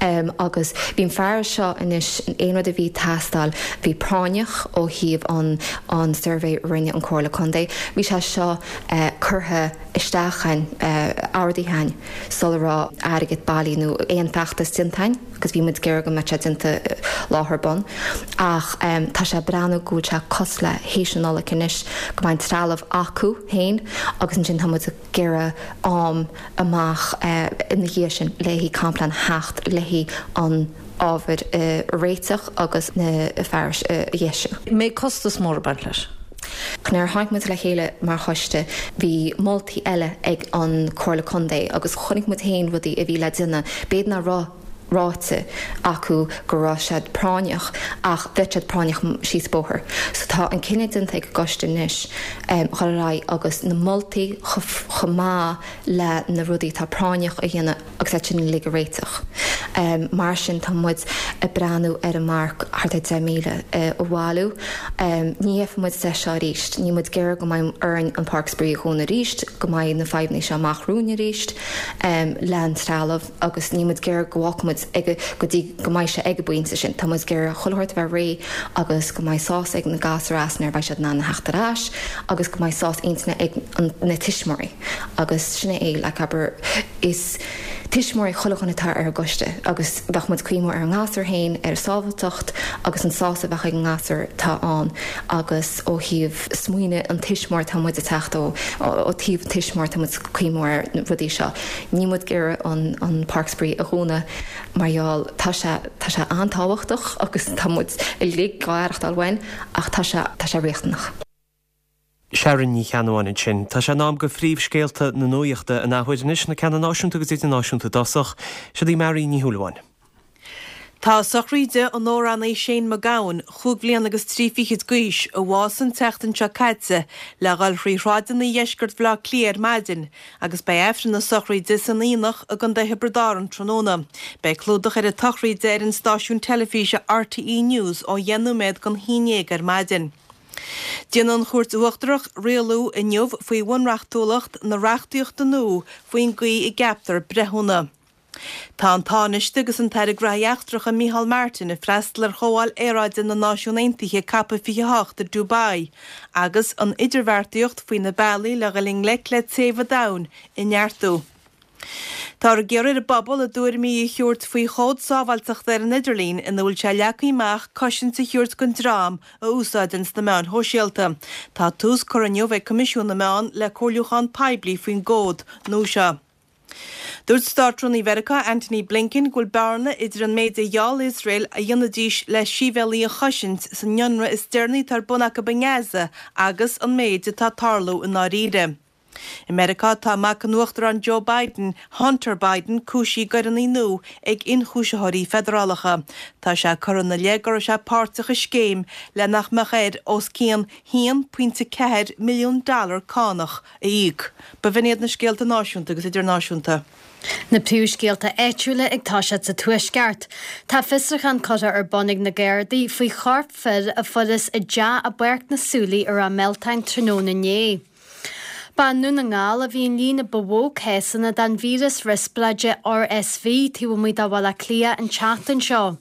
um, agus bhí an fear seo anois aon rud a bhí teastáil bhí práinneach ó thaobh an an suirbhé rinne an Comhairle Contae bhí sé seo uh, curtha isteach againn uh, ordaithe againn sula raibh airgead bailí nó aon feachtas déanta againn agus bhí muid ag iarraidh go mbeadh sé déanta láthair bun ach um, tá sé breathnú go bhfuil sé cosúil le théis an Nollaig anois go mbeidh trealamh acu féin agus ansin tá muid ag iarraidh am amach uh, ina dhiaidh sin le haghaidh complaint theacht le haghaidh an ábhar uh, réiteach agus na fearais uh, a dheisiú. Mbeidh costas mór ag baint leis. Nuair a tháinig muid le chéile mar choiste bhí moltaí eile ag an Comhairle Contae agus chonaic muid féin rudaí a bhí le déanamh b'fhéidir nach raibh ráite acu go raibh siad práinneach ach bheadh siad práinneach síos bóthar. So tá an cinneadh déanta ag an gcoiste anois um, chur ar aghaidh agus na moltaí chomh maith le na rudaí tá práinneach a dhéanamh agus é sin uilig a réiteach. Um, mar sin tá muid ag breathnú ar an marc thart ar deich míle uh, a bhailiú. Um, ní fhéadfaidh muid é seo arís, ní muid ag iarraidh go mbeidh orainn an Páirc Spraoi a dhúnadh arís, go mbeidh na fadhbanna seo amach romhainn arís um, le an trealamh agus ní muid ag iarraidh go bhfágfaidh muid ag go dtí go mbeidh sé ag an bpointe sin. Tá muid ag iarraidh chuile shórt a bheith réidh agus go mbeidh sásamh ag na gasúir as nuair beidh siad in ann a theacht ar ais agus go mbeidh sásamh intinne ag an, na tuismitheoirí agus sin é le abair is tuismitheoirí chuile dhuine atá ar an gcoiste agus bheadh muid cuimhneamh ar an ngasúr féin ar sábháilteacht agus an sásamh a bheadh ag an ngasúr tá ann agus ó thaobh smaoineamh an tuismitheoir tá muid ag teacht ó ó taobh tuismitheoir tá muid cuimhneamh ar na rudaí seo. Ní muid ag iarraidh an an Páirc Spraoi a dhúnadh mar gheall tá sé tá sé an-tábhachtach agus tá muid uilig ag aireachtáil uainn ach tá sé tá sé riachtanach. Sharon Ní Cheannabháin ansin. Tá sé in am do phríomhscéalta na nuachta an athuair anois na ceanna náisiúnta agus idirnáisiúnta i dtosach, Siod í Mary Ní Shúilleabháin. Tá sochraid an amhránaí Shane MacGowan, chúig bhliain agus trí fichid d'aois, a bhásaigh an tseachtain seo caite le dhul thrí shráideanna dheisceart Bhaile Átha Cliath ar maidin, agus beidh Aifreann na sochraide san Aonach i gContae Thiobraid Árann tráthnóna. Beidh clúdach ar an tsochraid ar an stáisiún teilifíse RTÉ News ó dheich nóiméad don haon déag ar maidin. Déanfaidh an Chúirt Uachtarach rialú inniu faoi bhunreachtúlacht na reachtaíochta nua faoin gcaoi a gceaptar breithiúna. Tá an Tánaiste agus an tAire Gnóthaí Eachtracha Micheál Martin ag freastal ar Chomhdháil Aeráide na Náisiún Aontaithe COP fiche a hocht i Dubai, agus an idirbheartaíocht faoi na bealaí le dhul i ngleic le téamh an domhain a neartú. Táthar ag iarraidh ar an bpobal a dtuairimí a thabhairt faoi chód sábháilteachta ar an idirlíon ina bhfuil sé leagtha amach cosaint a thabhairt don dream a úsáideanns na meáin shóisialta. Tá tús curtha inniu ag Coimisiún na Meán le comhairliúchán poiblí faoin gcód nua seo. Dúirt Státrúnaí Mheiriceá Antony Blinken go bhfuil bearna idir an méid a gheall Iosrael a dhéanfaidís le sibhialaigh a chosaint san ionradh is deireanaí atá ar bun acu i nGaza agus an méid atá ag tarlú i ndáiríre. I Meiriceá tá mac an Uachtaráin Joe Biden, Hunter Biden, cúisithe i gcoireanna nua ag ionchúisitheoirí feidearálacha. Tá sé curtha ina leith go raibh sé páirteach i scéim le nach mbeadh air os cionn haon pointe ceathair milliún dollar cánach a íoc. Ba bh'in iad na scéalta náisiúnta agus idirnáisiúnta. Na príomhscéalta áitiúla ag toiseacht sa Tuaisceart. Tá fiosrúchán curtha ar bun ag na Gardaí faoi chorp fir a fuarthas i dteach i bPáirc na Súilí i Ráth Mealtain tráthnóna inné. Ba i nDún na nGall a bhí an líon ba mhó cásanna den víreas riospráide RSV taobh amuigh de Bhaile Átha Cliath an tseachtain seo.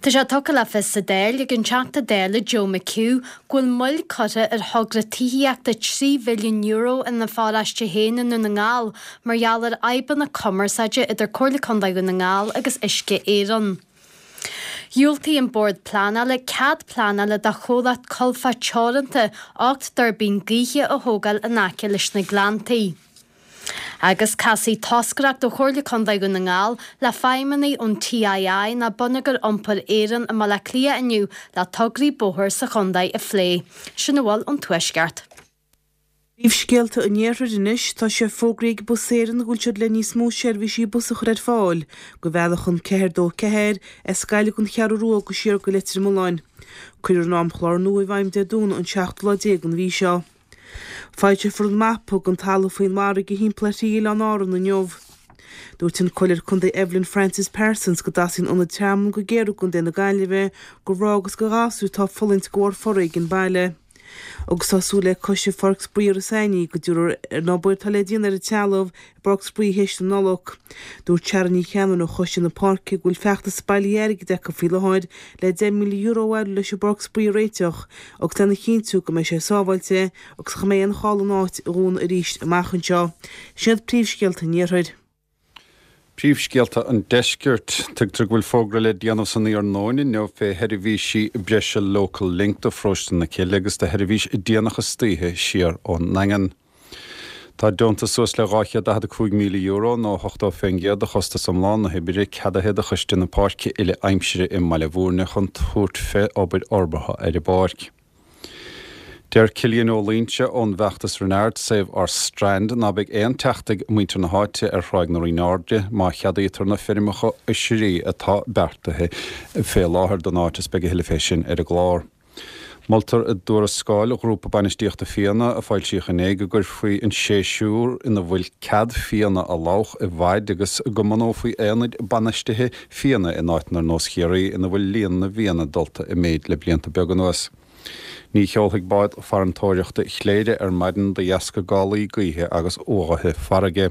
Tá sé tugtha le fios sa Dáil ag an Teachta Dála Joe McHugh go bhfuil moill curtha ar thogra tithíochta trí mhilliún euro ina pharóiste féin i nDún na nGall mar gheall ar fhadhbanna cumarsáide idir Comhairle Contae Dhún na nGall agus Uisce Éireann. Dhiúltaigh an Bord Pleanála cead pleanála do chomhlacht Colfá Teoranta ocht dtuirbín gaoithe a thógáil in aice leis na Gleanntaí. Agus casfaidh toscaireacht ó Chomhairle Contae Dhún na nGall le feidhmeannaigh ón TII ná Bonneagar Iompair Éireann i mBaile Átha Cliath inniu le tograí bóthair sa chontae a phlé. Sin a bhfuil ón Tuaisceart. Príomhscéalta an Iarthair anois, tá sé fógraithe ag Bus Éireann go bhfuil siad le níos mó seirbhísí bus a chur ar fáil go bhealach an ceathair dó ceathair as Gaillimh don Cheathrú Rua go siar go Leitir Mealláin. Cuirfear an amchlár nua i bhfeidhm Dé Domhnaigh an seachtú lá déag den mhí seo. Foilseofar an mapa den talamh faoin bhfarraige thimpeall ar thrí oileán Árann inniu. Dúirt an Comhairleoir Contae Evelyn Frances Parsons go dteastaíonn ionad tearmainn go géar i gContae na Gaillimhe do mhná agus do ghasúir atá ag fulaingt de bharr foréigean baile. Agus tá súil ag Coiste Pháirc Spraoi Iorras Aithnigh go dtabharfar an obair atá le déanamh ar an trealamh i bPáirc Spraoi théis na Nollag. Dúirt Sharon Ní Cheannabháin ó Choiste na Páirce go bhfuil feachtas bailithe airgid acu faoi láthair le deich míle euro a bhailiú leis an bPáirc Spraoi a réiteach agus lena chinntiú go mbeidh sé sábháilte agus nach mbeidh aon chall an áit a dhúnadh arís amach anseo. Sin iad príomhscéalta an Iarthair. Príomhscéalta an Deiscirt. Tuigtear go bhfuil fógra le déanamh san iarnóin inniu fé sheirbhísí breise Local Link do Pharóiste na Cille agus do sheirbhís déanach istoíche siar ón nDaingean. Tá deontas suas le dhá chéad daichead a cúig míle euro nó ochtó fén gcéad de chostas iomlán na hoibre ceadaithe do Choiste na Páirce Uile Aimsire i mBaile Bhúirne chun tabhairt fé obair fhorbartha ar an bpáirc. Deir Cillian Ó Loingsigh ón bhfeachtas Renard Save Our Strand ná beidh aon teacht ag muintir na háite ar Thráigh na Rinne Airde má cheadaítear na feirmeacha oisrí atá beartaithe fé láthair don áit is beidh a thuilleadh fé sin ar an gclár. Moltar i dtuarascáil Ghrúpa Bainistíochta Fianna a foilsíodh inné go gcuirfí an séasúr ina bhfuil cead fianna a fhliuchadh i bhfaid agus go mbunófaí aonaid bainistithe fianna in áiteanna ar nós Chiarraí ina bhfuil líon na bhfianna dulta i méid le blianta beaga anuas. Ní sheolfaidh bád farantóireachta Chléire ar maidin de dheasca gálaí gaoithe agus uaghaithe farraige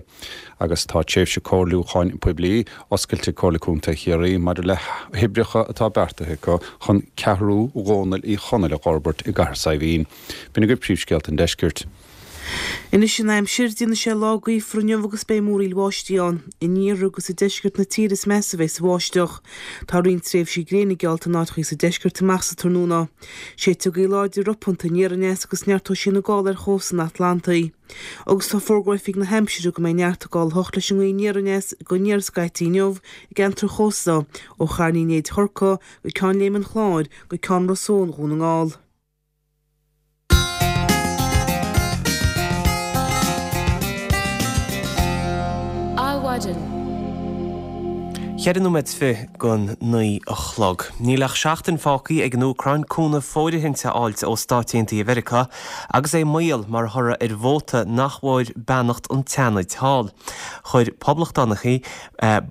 agus tá tréimhse comhairliúcháin poiblí oscailte ag Comhairle Contae Chiarraí maidir le hoibreacha atá beartaithe acu chun Ceathrú Dhónaill Uí Chonaill a fhorbairt i gCathair Saidhbhín. B'in agaibh príomhscéalta an deiscirt. Anois an aimsir, déanfaidh sé lá gaofar inniu agus beidh múraíl bháistí ann. In iarthar agus i deisceart na tíre is measa a bheas an bháisteach. Tá roinnt tréimhsí gréine geallta in áiteachaí sa deisceart amach sa tráthnóna. Séidfidh gaoth láidir ropanta aniar aneas agus neartóidh sí ina gála ar chósta an Atlantaigh. Agus tá fógra ó Oifig na hAimsire go mbeidh neart ag gála a hocht leis an ngaoth aniar aneas go aniar scaití inniu i gceantar chósta ó Charn Uí Néid Chorcaí go Ceann Léim an Chláir go Ceann Ros Eoghain Dhún na nGall. Adhmhaidin. Ceithre nóiméad is fiche don naoi a chlog. Níl ach seachtain fágtha ag an Úcráin cúnamh fóirithinte a fháilt ó Stáit Aontaithe Mheiriceá agus é i mbaol mar thoradh ar vóta nach bhfuair beannacht an tSeanaid thall. Chuir poblachtánaigh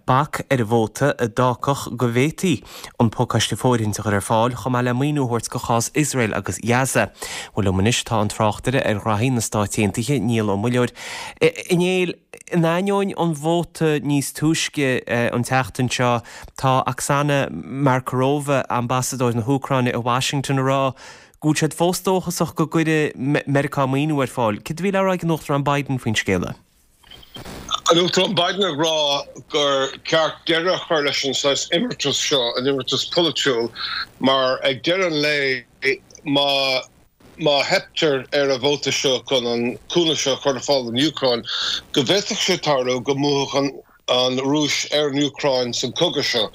bac ar an vóta a d'fhágfadh go bhféadfaí an pacáiste fóirithinte a chur ar fáil chomh maith le maoiniú a thabhairt do chás Iosrael agus Ghaza. Bhuel liom anois tá an tráchtaire ar ghraithí na Stáit Aontaithe, Niall Ó Muilleoir. A Néill, in ainneoin an vóta níos túisce an tseachtain seo, tá Oksana Markarova, ambasadóir na hÚcráine i Washington, ag rá go bhfuil siad fós dóchasach go gcuirfidh Meiriceá maoiniú ar fáil. Céard a bhí le rá ag an Uachtarán Biden faoin scéala? An Uachtarán Biden ag rá gur ceart deireadh a chur leis an saghas imeartas seo, an imeartas polaitiúil, mar ag deireadh an lae má má theiptear ar an vóta seo chun an cúnamh seo a chur ar fáil don Úcráin, go bhféadfadh sé tarlú go mbuafadh an Rúis ar an Úcráin san cogadh seo.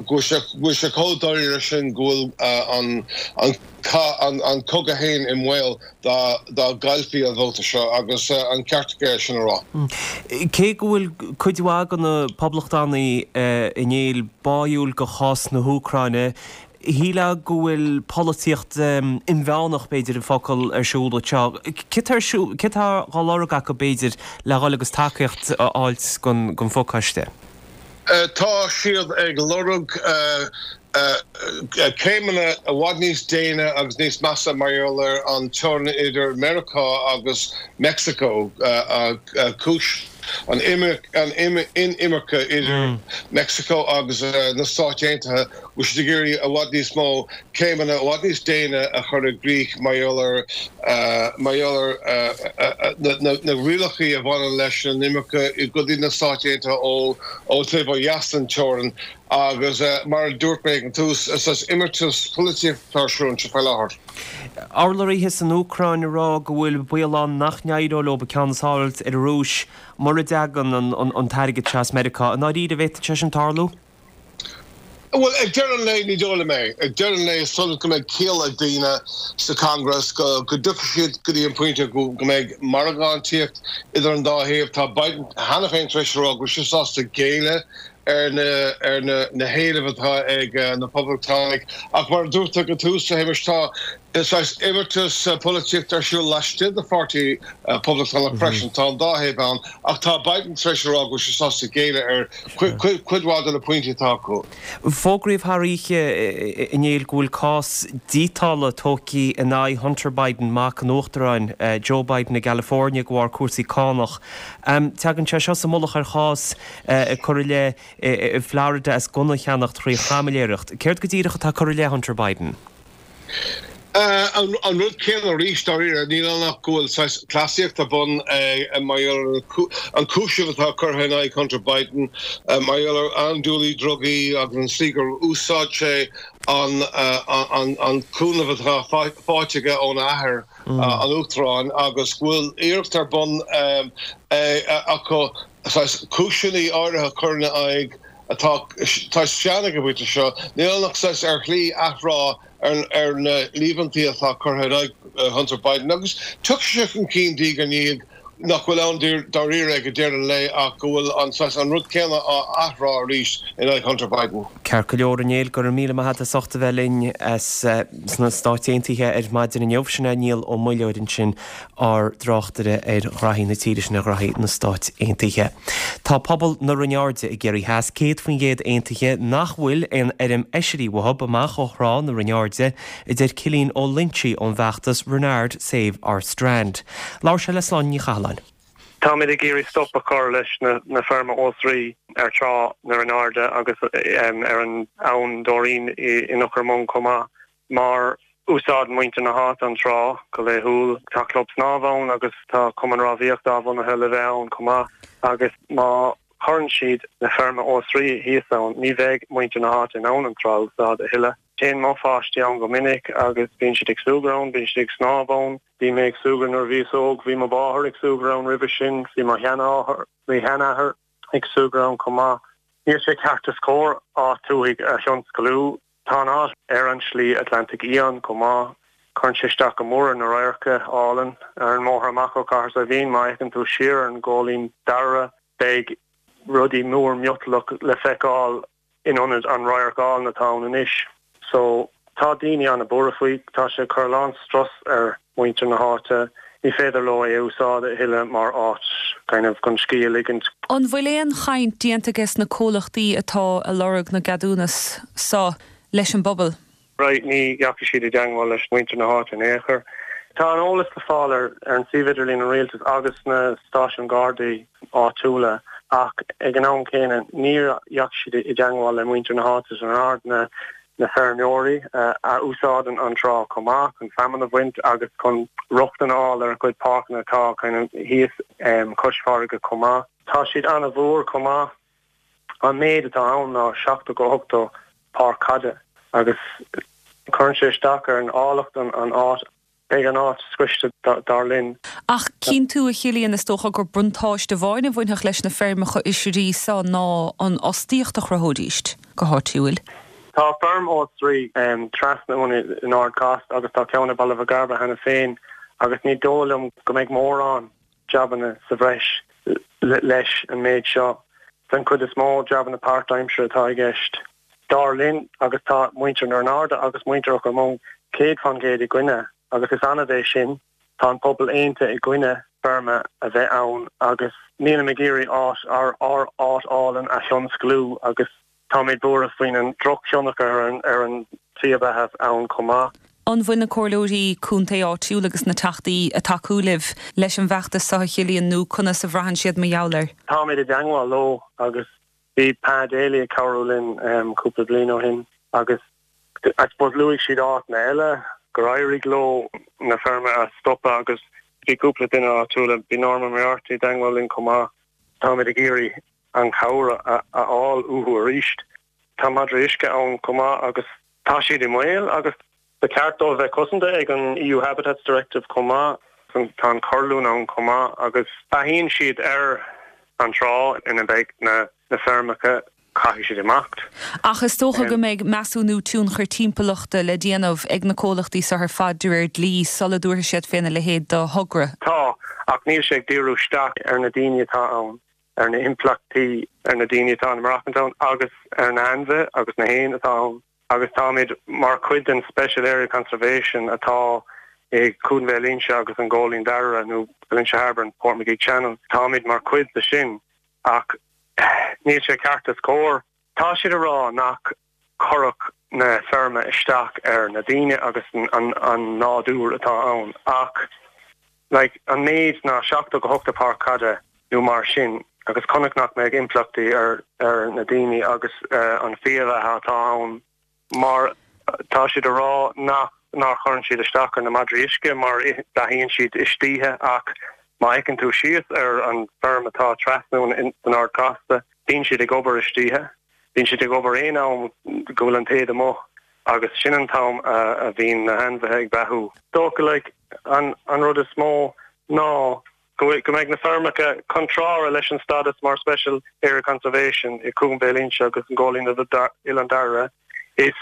Go bhfuil sé chomh dáiríre sin go bhfuil an an cogadh féin i mbaol dá dá gcaillfí an vóta seo agus an ceart aige é sin a rá. Cé go bhfuil cuid mhaith de na poblachtánaigh a Néill báúil do chás na hÚcráine, Shílfeá go bhfuil polaitíocht inmheánach, b'fhéidir an focal, ar siúl anseo. Céard atá ar siúl, céard atá á lorg acu, b'fhéidir, le dhul agus tacaíocht a fháilt don phacáiste? Tá siad ag lorg céimeanna i bhfad níos déine agus níos measa mar gheall ar an teorainn idir Meiriceá agus Meicsiceo, cúis an inimirce idir Meicsiceo agus na Stáit Aontaithe, bhfuil siad ag iarraidh i bhfad níos mó céimeanna i bhfad níos déine a chur i gcrích mar gheall ar mar gheall ar na rialacha a bhaineann leis an imirce go dtí na Stáit Aontaithe ó ó taobh ó dheas den teorainn agus mar a dúirt mé ag an tús, is imeartas polaitíochta atá ar siúl anseo faoi láthair. Urlabhraithe san Úcráin ag rá go bhfuil baol ann nach n-éireoidh leo an ceann is fearr a fháilt ar an Rúis mura dtagann an t-airgead seo as Meiriceá. I ndáiríre, an bhféadfadh sé sin tarlú? Bhuel, ag deireadh an lae, ní dóigh liom é. Ag deireadh an lae, is dóigh liom go mbeidh ciall ag daoine sa Congress, go dtiocfaidh siad go dtí an pointe go mbeidh margadh inteacht idir an dá thaobh. Tá Biden cheana féin tar éis a rá go bhfuil sé sásta géilleadh ar na ar na na héilimh atá ag na Poblachtánaigh. Ach mar a dúirt tú ag an tús, a Shéamais, tá saghas imeartas polaitíochta ar siúl laistigh de pháirtí Poblachtánach freisin. Tá an dá thaobh ann, ach tá Biden tar éis a rá go bhfuil sé sásta géilleadh ar cuid mhaith de na pointí atá acu. Fógraíodh thar oíche inné go bhfuil cás díotála tógtha in aghaidh Hunter Biden, mac an Uachtaráin Joe Biden i gCalifornia de bharr cúrsaí cánach. Tagann sé seo sa mullach ar chás a cuireadh i leith i Florida as gunna a cheannacht thrí chaimiléireacht. Céard go díreach atá curtha i leith Hunter Biden? An rud céanna arís, dáiríre, níl ann ach go bhfuil saghas cleasaíocht ar bun mar gheall ar an cúiseamh atá curtha in aghaidh Hunter Biden mar gheall ar andúilí drugaí agus an tslí gur úsáid sé an cúnamh atá faighte aige óna athair, an Uachtarán, agus go bhfuil iarracht ar bun acu saghas cúiseanna áirithe a chur ina aghaidh atá sean ag an bpointe seo. Níl ann ach saghas ar shlí athrá ar na líomhaintí atá curtha in aghaidh Hunter Biden agus tiocfaidh sé chun cinn diaidh ar ndiaidh nach bhfuil ann dáiríre ag deireadh an lae ach go bhfuil an saghas an rud céanna á athrá arís in aghaidh Hunter Biden. Ceart go leor, a Néill, go raibh míle maith agat as ucht a bheith linn as sna Stáit Aontaithe ar maidin inniu. Sin é Niall Ó Muilleoir ansin, ár dtráchtaire ar ghraithí na tíre sin, ar ghraithí na Stáit Aontaithe. Tá pobal na Rinne Airde i gCiarraí Theas céad faoin gcéad aontaithe nach bhfuil aon fheirm oisrí uathu amach ó thrá na Rinne Airde, a deir Cillian Ó Loinsigh ón bhfeachtas Renard Save Our Strand. Labhair sé le Sláine Ní Chathalláin. Táimid ag iarraidh stop a chur leis na feirme oisrí ar trá na Rinne Airde agus ar an abhainn Dóirín in Eochair Mong chomh maith mar úsáideann muintir na háite an trá go laethúil. Tá club snámha ann agus tá cumann rámhaíochta athbhunaithe le bheith ann chomh maith agus má chuireann siad na feirme oisrí thíos ann ní bheidh muintir na háite in ann an trá a úsáid a thuilleadh. Téann mo pháistí ann go minic agus bíonn siad ag súgradh ann, bíonn siad ag snámh ann. Bhí mé ag súgradh nuair a bhíos óg, bhí mo mháthair ag súgradh ann roimhe sin, bhí mo sheanathair ag súgradh ann chomh maith. Níl sé ceart is cóir áit tuaithe a thionscalú. Tá an áit ar an Slí Atlantaigh Fhiáin chomh maith. Cuireann sé isteach go mór ar na radharca álainn ar an mbóthar amach ó Chathair Saidhbhín. Má fhéachann tú siar ar an gCóilín Dara, beidh rudaí mór miotalach le feiceáil in ionad an radharc álainn atá ann anois. So, tá daoine an-buartha faoi. Tá sé ag cur a lán strus ar mhuintir na háite. Ní féidir leo é a úsáid a thuilleadh mar áit kind of chun scíth a ligint. An bhfuil aon chaint déanta ages na comhlachtaí atá ag lorg na gceadúnas so leis an bpobal? Right, ní dheachaigh siad i dteangmháil leis muintir na háite in aon chor. Tá an eolas le fáil ar ar an suíomh idirlín an rialtais agus na stáisiúin Gardaí áitiúla ach ag an am céanna níor dheachaigh siad i dteangmháil le muintir na háite san Ard na na feirmeoirí a úsáideann an trá chomh maith chun feamainn a bhaint agus chun rochtain a fháil ar a gcuid páirceanna atá kind of thíos cois farraige chomh maith. Tá siad an-mhór chomh maith. An méid atá ann ná seachtó go hochtó páirc caide agus cuireann sé isteach ar an áilleacht an áit. Beidh an áit scriosta dar linn. Ach cinn tú, a Chillian, is dócha gur buntáiste amháin a bhainfeadh leis na feirmeacha oisrí so ná an fhostaíocht a chruthóidíst go háitiúil. Tá feirm oisrí trasna uainn in Ard Cost agus tá ceann i Baile Mhic Gairbheith cheana féin agus ní dóigh liom go mbeidh mórán jabanna sa bhreis leis an méid seo. Den chuid is mó, jabanna páirtaimseartha atá i gceist, dar linn, agus tá muintir na Rinne Airde agus muintir Eochair Mong céad fán gcéad i gcoinne agus is annamh é sin. Tá an pobal aontaithe i gcoinne feirme a bheith ann agus nílim ag iarraidh áit, ár áit álainn a thionsclú agus táimid buartha faoin an drochthionchar ar an tslí bheatha ann chomh maith. An bhfuil na comhairleoirí contae áitiúil agus na teachtaí ag tacú libh leis an bhfeachtas seo a Chillian nó conas a bhraitheann siad mar gheall air? Táimid i dteangmháil leo agus bhí Pa Daly ag cabhrú linn cúpla bliain ó shin agus I suppose luaigh siad áiteanna eile gur éirigh leo na feirme a stopadh agus bhí cúpla duine áitiúla, bhí Norma Moriarty i dteangmháil linn chomh maith. Táimid ag iarraidh an chabhair a fháil uathu arís. Tá madraí uisce ann chomh maith agus tá siad i mbaol agus ba cheart dóibh bheith cosanta ag an EU Habitats Directive chomh maith. Tá an corrlún ann chomh maith agus beathaíonn siad ar an trá ina mbeidh na feirmeacha, caithfidh siad imeacht. Ach is dócha go mbeidh measúnú tionchair timpeallachta le déanamh ag na comhlachtaí seo ar fad de réir dlí sula dtabharfaidh siad féna leithéid de thogra. Tá, ach níl sé ag díriú isteach ar na daoine atá ann. ar na himpleachtaí ar na daoine atá ina maireachtaint ann agus ar na hainmhithe agus na héin atá ann Agus táimid mar chuid den Special Area Conservation atá i Cuan Bhéal Inse agus an Góilín Dara nó Valentia Harbour and Portmagee Channel. Táimid mar chuid de sin ach níl sé ceart is cóir. Tá siad a rá nach gcuirfeadh na feirme isteach ar na daoine agus an, an, an nádúr atá ann ach like, an méid ná seachtó go hocht páirc caide nó mar sin agus conas nach mbeidh impleachtaí ar ar na daoine agus uh, an fiabheatha atá ann mar tá siad a rá nach nach chuireann siad isteach ar na madraí uisce mar beathaíonn siad istoíche ach má fhéachann tú síos ar an feirm atá trasna san Ard Chasta bíonn siad ag obair istoíche bíonn siad ag obair aon am go bhfuil an taoide amuigh agus sin an t-am a bhíonn na hainmhithe ag beathú. Dócha like, an, an rud is mó ná go go mbeidh na feirmeacha contrártha leis an stádas mar Special Area Conservation i Cuan Bhéal Inse agus an Góilín Oileán Dara. Is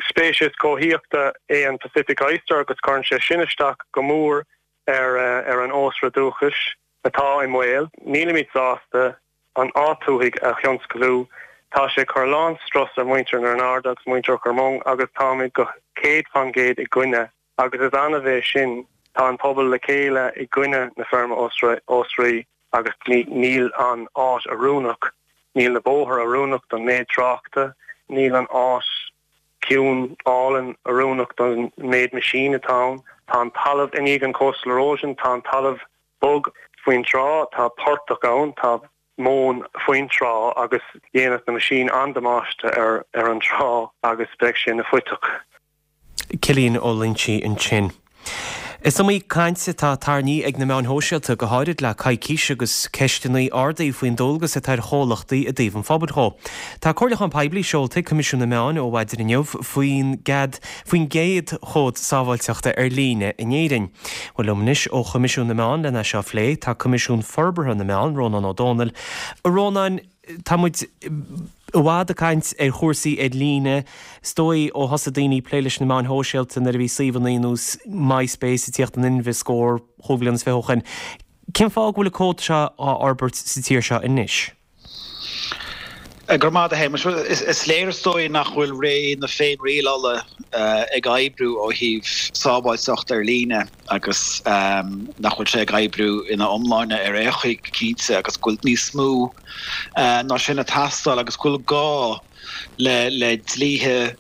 speiceas comhshaoil é an Pacific Oyster agus cuireann sé sin isteach go mór ar ar an ósra dúchais atá i mbaol. Nílimid sásta an áit thuaidh a thionsclú Tá sé cur lán strus ar muintir na Ard agus muintir Chormong agus táimid go céad faoin gcéad i gcoinne agus is annamh é sin tá an pobal le chéile i gcoinne na feirme ósraí agus níl an áit oiriúnach, níl na bóithre oiriúnach don méid tráchta, níl an áit ciúin álainn oiriúnach don méid machine atá ann, tá an talamh i ndiaidh an coastal erosion, tá an talamh bog faoin trá, tá portach ann, tá móin faoin trá agus dhéanfadh na machine an-damáiste ar ar an trá agus beidh sé ina phuiteach. Cillian Ó Loinsigh ansin. Is iomaí caint atá tarraingthe ag na meáin shóisialta go háirid le coicís agus ceisteanna ardaithe faoin dualgas atá ar chomhlachtaí i dtaobh an phobail dhó. Tá comhairliúchán poiblí seolta ag Coimisiún na Meán ó mhaidin inniu faoin gcead faoin gcéad chód sábháilteachta ar líne in Éirinn. Bhuel liom anois ó Choimisiún na Meán lena seo a phlé tá Coimisiún Forbartha na Meán Rónán Ó Domhnaill. A Rónáin tá muid i bhfad ag caint ar chúrsaí ar líne, is dóigh ó thosaigh daoine plé leis na meáin shóisialta nuair a bhí suíomhanna ar nós MySpace ag tíocht in inmhe scór chúig bhliain is fiche ó shin. Cén fáth go bhfuil an cód seo á fhorbairt sa tír seo anois? Go raibh maith agat a Shéamais. Is léir is dóigh nach bhfuil ré na féinrialála ag oibriú ó thaobh sábháilteacht ar líne agus nach bhfuil sé ag oibriú ina iomláine ar aon chaoi go cinnte agus go bhfuil níos mó ná sin ag teastáil agus go bhfuil gá le le dlíthe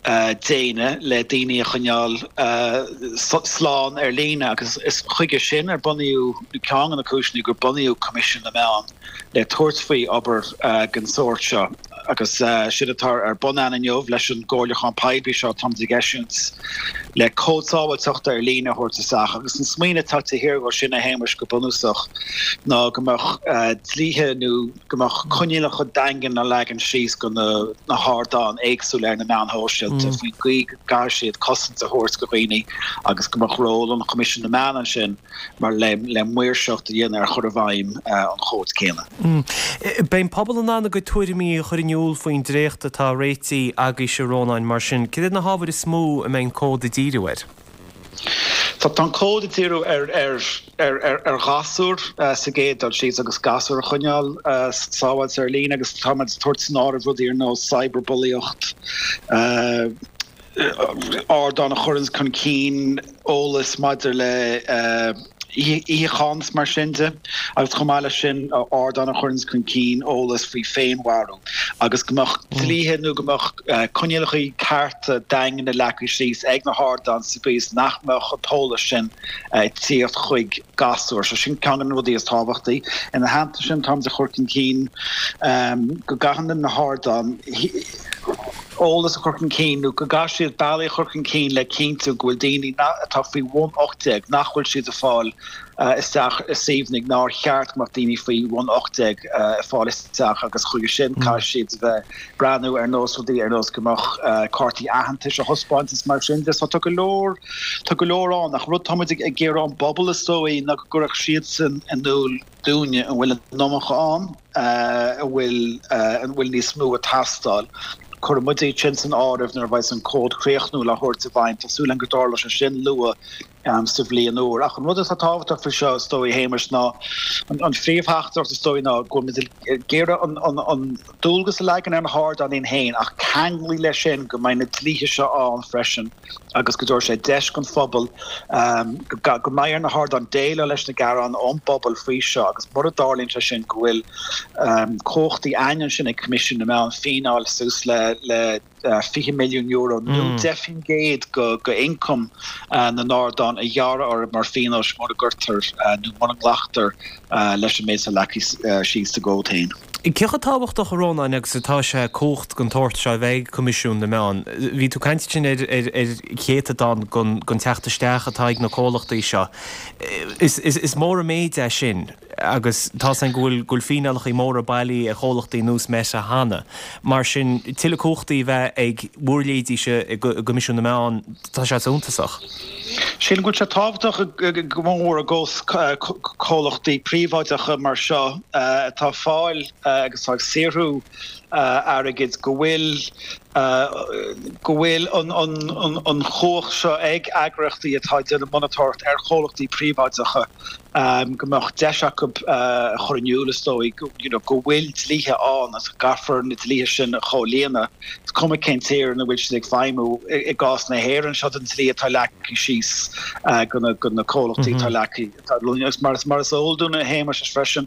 déine le daoine a choinneáil slán ar líne agus is chuige sin ar bunaíodh, nó ceann de na cúiseanna gur bunaíodh Coimisiún na Meán le tabhairt faoi obair den sórt seo agus sin atá ar bun againn inniu leis an gcomhairliúchán poiblí seo atáimid ag eisiúint le cód sábháilteachta ar líne a thabhairt isteach agus an smaoineamh atá taobh thiar de sin a Shéamais go bunúsach ná go mbeadh dlíthe nó go mbeadh coinníollacha daingean á leagan síos go na hardáin éagsúla ar na meáin shóisialta faoin gcaoi go gcaithfidh siad cosaint a thabhairt go dhaoine agus go mbeadh ról an Choimisiúin na Meán ansin mar le le maoirseacht a dhéanamh ar chur i bhfeidhm an chóid céanna. Beidh an pobal in ann a gcuid tuairimí a chur in iúl faoin dréacht atá réitithe agaibhse a Rónáin mar sin cad iad na hábhair is mó a mbeidh an cód ag díriú air? Tá an cód ag díriú ar ar ghasúir sa gcéad dul síos agus gasúir a choinneáil sábháilte ar líne agus táimid ag tabhairt san áireamh rudaí ar nós cyberbulaíocht, ardáin a chuireann chun cinn eolas maidir le itheachán is mar sin de agus chomh maith leis sin ardáin a chuireann chun cinn eolas faoi féinmharú agus go mbeadh dlíthe nó go mbeadh coinníollacha cearta daingne leagtha síos ag na hardáin sa gcaoi is nach mbeadh an t-eolas sin ag tíocht chuig gasúir. So sin ceann de na rudaí is tábhachtaí. Ina theannta sin táimid ag cur chun cinn go gcaithfidh na hardáin eolas a chur chun cinn nó go gcaithfidh siad bealaí a chur chun cinn le cinntiú go bhfuil daoine atá faoi bhun ocht déag nach bhfuil siad ag fáil isteach i suíomhanna nár cheart go mbeadh daoine faoi bhun ocht déag ag fáil isteach agus chuige sin caithfidh siad a bheith breathnú ar nós rudaí ar nós go mbeadh cártaí aitheantais á thaispeáint is mar sin de. So tá go leor tá go leor ann ach rud táimid ag iarraidh ón bpobal is dóigh ná go gcuirfeadh siadsan in iúl dúinne an bhfuil an iomarca ann, an bhfuil an bhfuil níos mó ag teastáil. Cuirfidh muid iad sin san áireamh nuair a bheidh an cód críochnúil á thabhairt i bhfeidhm. Tá súil againn go dtarlóidh sé sin luath sa bhliain úr. Ach an rud atá tábhachtach faoi seo, is dóigh, a Shéamais, ná an phríomhtheachtaireacht, is dóigh, ná go bhfuil muid ag iarraidh an dualgas a leagan ar na hardáin iad féin ach ceanglais leis sin go mbeidh na dlíthe seo ann freisin agus go dtabharfaidh sé deis don phobal go mbeidh ar na hardáin déileáil leis na gearáin ón bpobal faoi seo agus mura dtarlaíonn sé sin go bhfuil cumhachtaí ansin ag Coimisiún na Meán fíneáil suas le le fiche milliún euro nó deich faoin gcéad de ioncam na n-ardán a ghearradh orthu mar phíonós mura gcuirtear nó mura nglactar leis an méid atá leagtha síos sa gcód féin. Cé chomh tábhachtach, a Rónáin, agus atá sé cumhacht den tsórt seo a bheith ag Coimisiún na Meán? Bhí tú ag caint ansin ar chéatadán den teacht isteach atá ag na comhlachtaí seo. Is mór an méid é sin agus tá's againn go bhfuil go bhfuil fíneálacha móra bailithe ar chomhlachtaí ar nós Meta cheana. Mar sin, tuilleadh cumhachtaí a bheith ag bhur leithéidíse i gCoimisiún na Meán, tá sé suntasach. Sílim go bhfuil sé tábhachtach go mór i gcás comhlachtaí príobháideacha mar seo atá ag fáil agus atá ag saothrú airgid go bhfuil go bhfuil an chumhacht seo ag eagraíochtaí atá ag déanamh monatóireacht ar chomhlachtaí príobháideacha go mbeadh deis acu a chur in iúl, is dóigh, you know, go bhfuil dlíthe ann agus go gcaithfear na dlíthe sin a chomhlíonadh. Is cuma cén tír ina bhfuil siad ag feidhmiú. I gcás na hÉireann, seo an dlí atá leagtha síos do na comhlachtaí atá leagtha agus mar mar is eol dúinn, a Shéamais, freisin,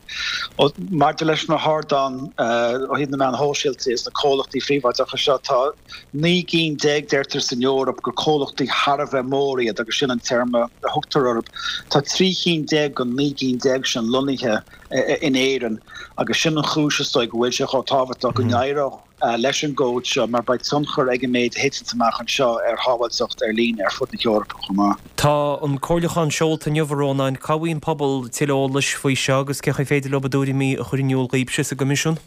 maidir leis na hardáin ó thaobh na meán shóisialta is na comhlachtaí phríobháideacha seo, tá naoi gcinn déag, deirtear, san Eoraip gur comhlachtaí thar a bheith mór iad agus sin an téarma a thugtar orthu. Tá trí chinn déag den naoi gcinn déag sin lonnaithe in Éirinn agus sin an chúis is dóigh go bhfuil sé chomh tábhachtach go n-éireodh leis an gcód seo mar beidh tionchar ag an méid a thiteanns amach anseo ar shábháilteacht ar líne ar fud na hEorpa chomh maith. Tá an comhairliúchán seolta inniu, a Rónáin. Cá bhfaigheann an pobal tuilleadh eolais faoi seo agus cén chaoi féidir leo a dtuairimí a chur in iúl dhaoibhse sa gCoimisiún?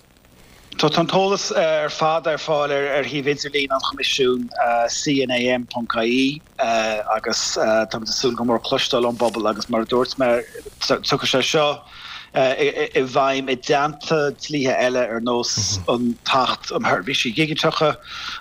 Tá an t-eolas ar fad ar fáil ar shuíomh idirlín an Choimisiúin, cnam.ie, agus táimid ag súil go mór cloisteáil ón bpobal agus mar a dúirt mé, tiocfaidh sé seo i bhfeidhm i dteannta dlíthe eile ar nós an tAcht um Sheirbhísí Dhigiteacha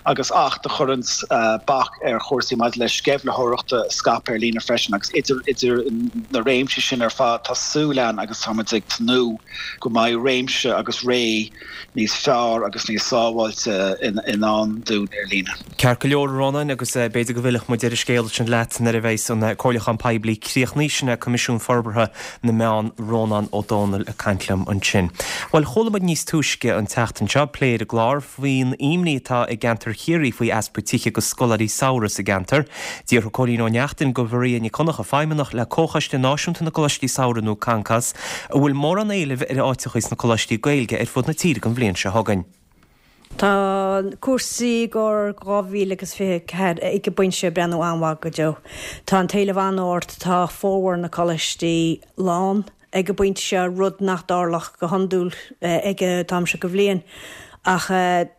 agus Acht a chuireanns bac ar chúrsaí maidir le sceimhlitheoireacht a scaipeadh ar líne freisin agus idir na réimsí sin ar fad tá súil againn agus táimid ag tnúth go mbeidh réimse agus ré níos fearr agus níos sábháilte i ndán dúinn ar líne. Ceart go leor, a Rónáin, agus b'fhéidir go bhfillfidh muid ar an scéal sin leat nuair a bheidh an comhairliúchán poiblí críochnaithe. Sin é Coimisiún Forbartha na Meán, Rónán Ó Domhnaill ag caint liom ansin. Bhuel, chuala muid níos túisce an tseachtain seo plé ar an gclár faoin imní atá i gceantar Chiarraí faoi easpa tithe do scoláirí samhraidh sa gceantar. D'fhiafraigh Cóilín Ó Neachtain de Mharia Nic Dhonncha, Feidhmeannach le Comhchoiste Náisiúnta na gColáistí Samhraidh nó Concos, an bhfuil mórán éilimh ar áiteacha sna coláistí Gaeilge ar fud na tíre don bhliain seo chugainn. Tá cúrsaí i gcomhair dhá mhíle agus fiche a ceathair ag an bpointe seo ag breathnú an-mhaith go deo. Tá an t-éileamh an-ard, tá formhór na coláistí lán ag an bpointe seo, rud nach dtarlódh go hiondúil ag an t-am seo de bhliain. Ach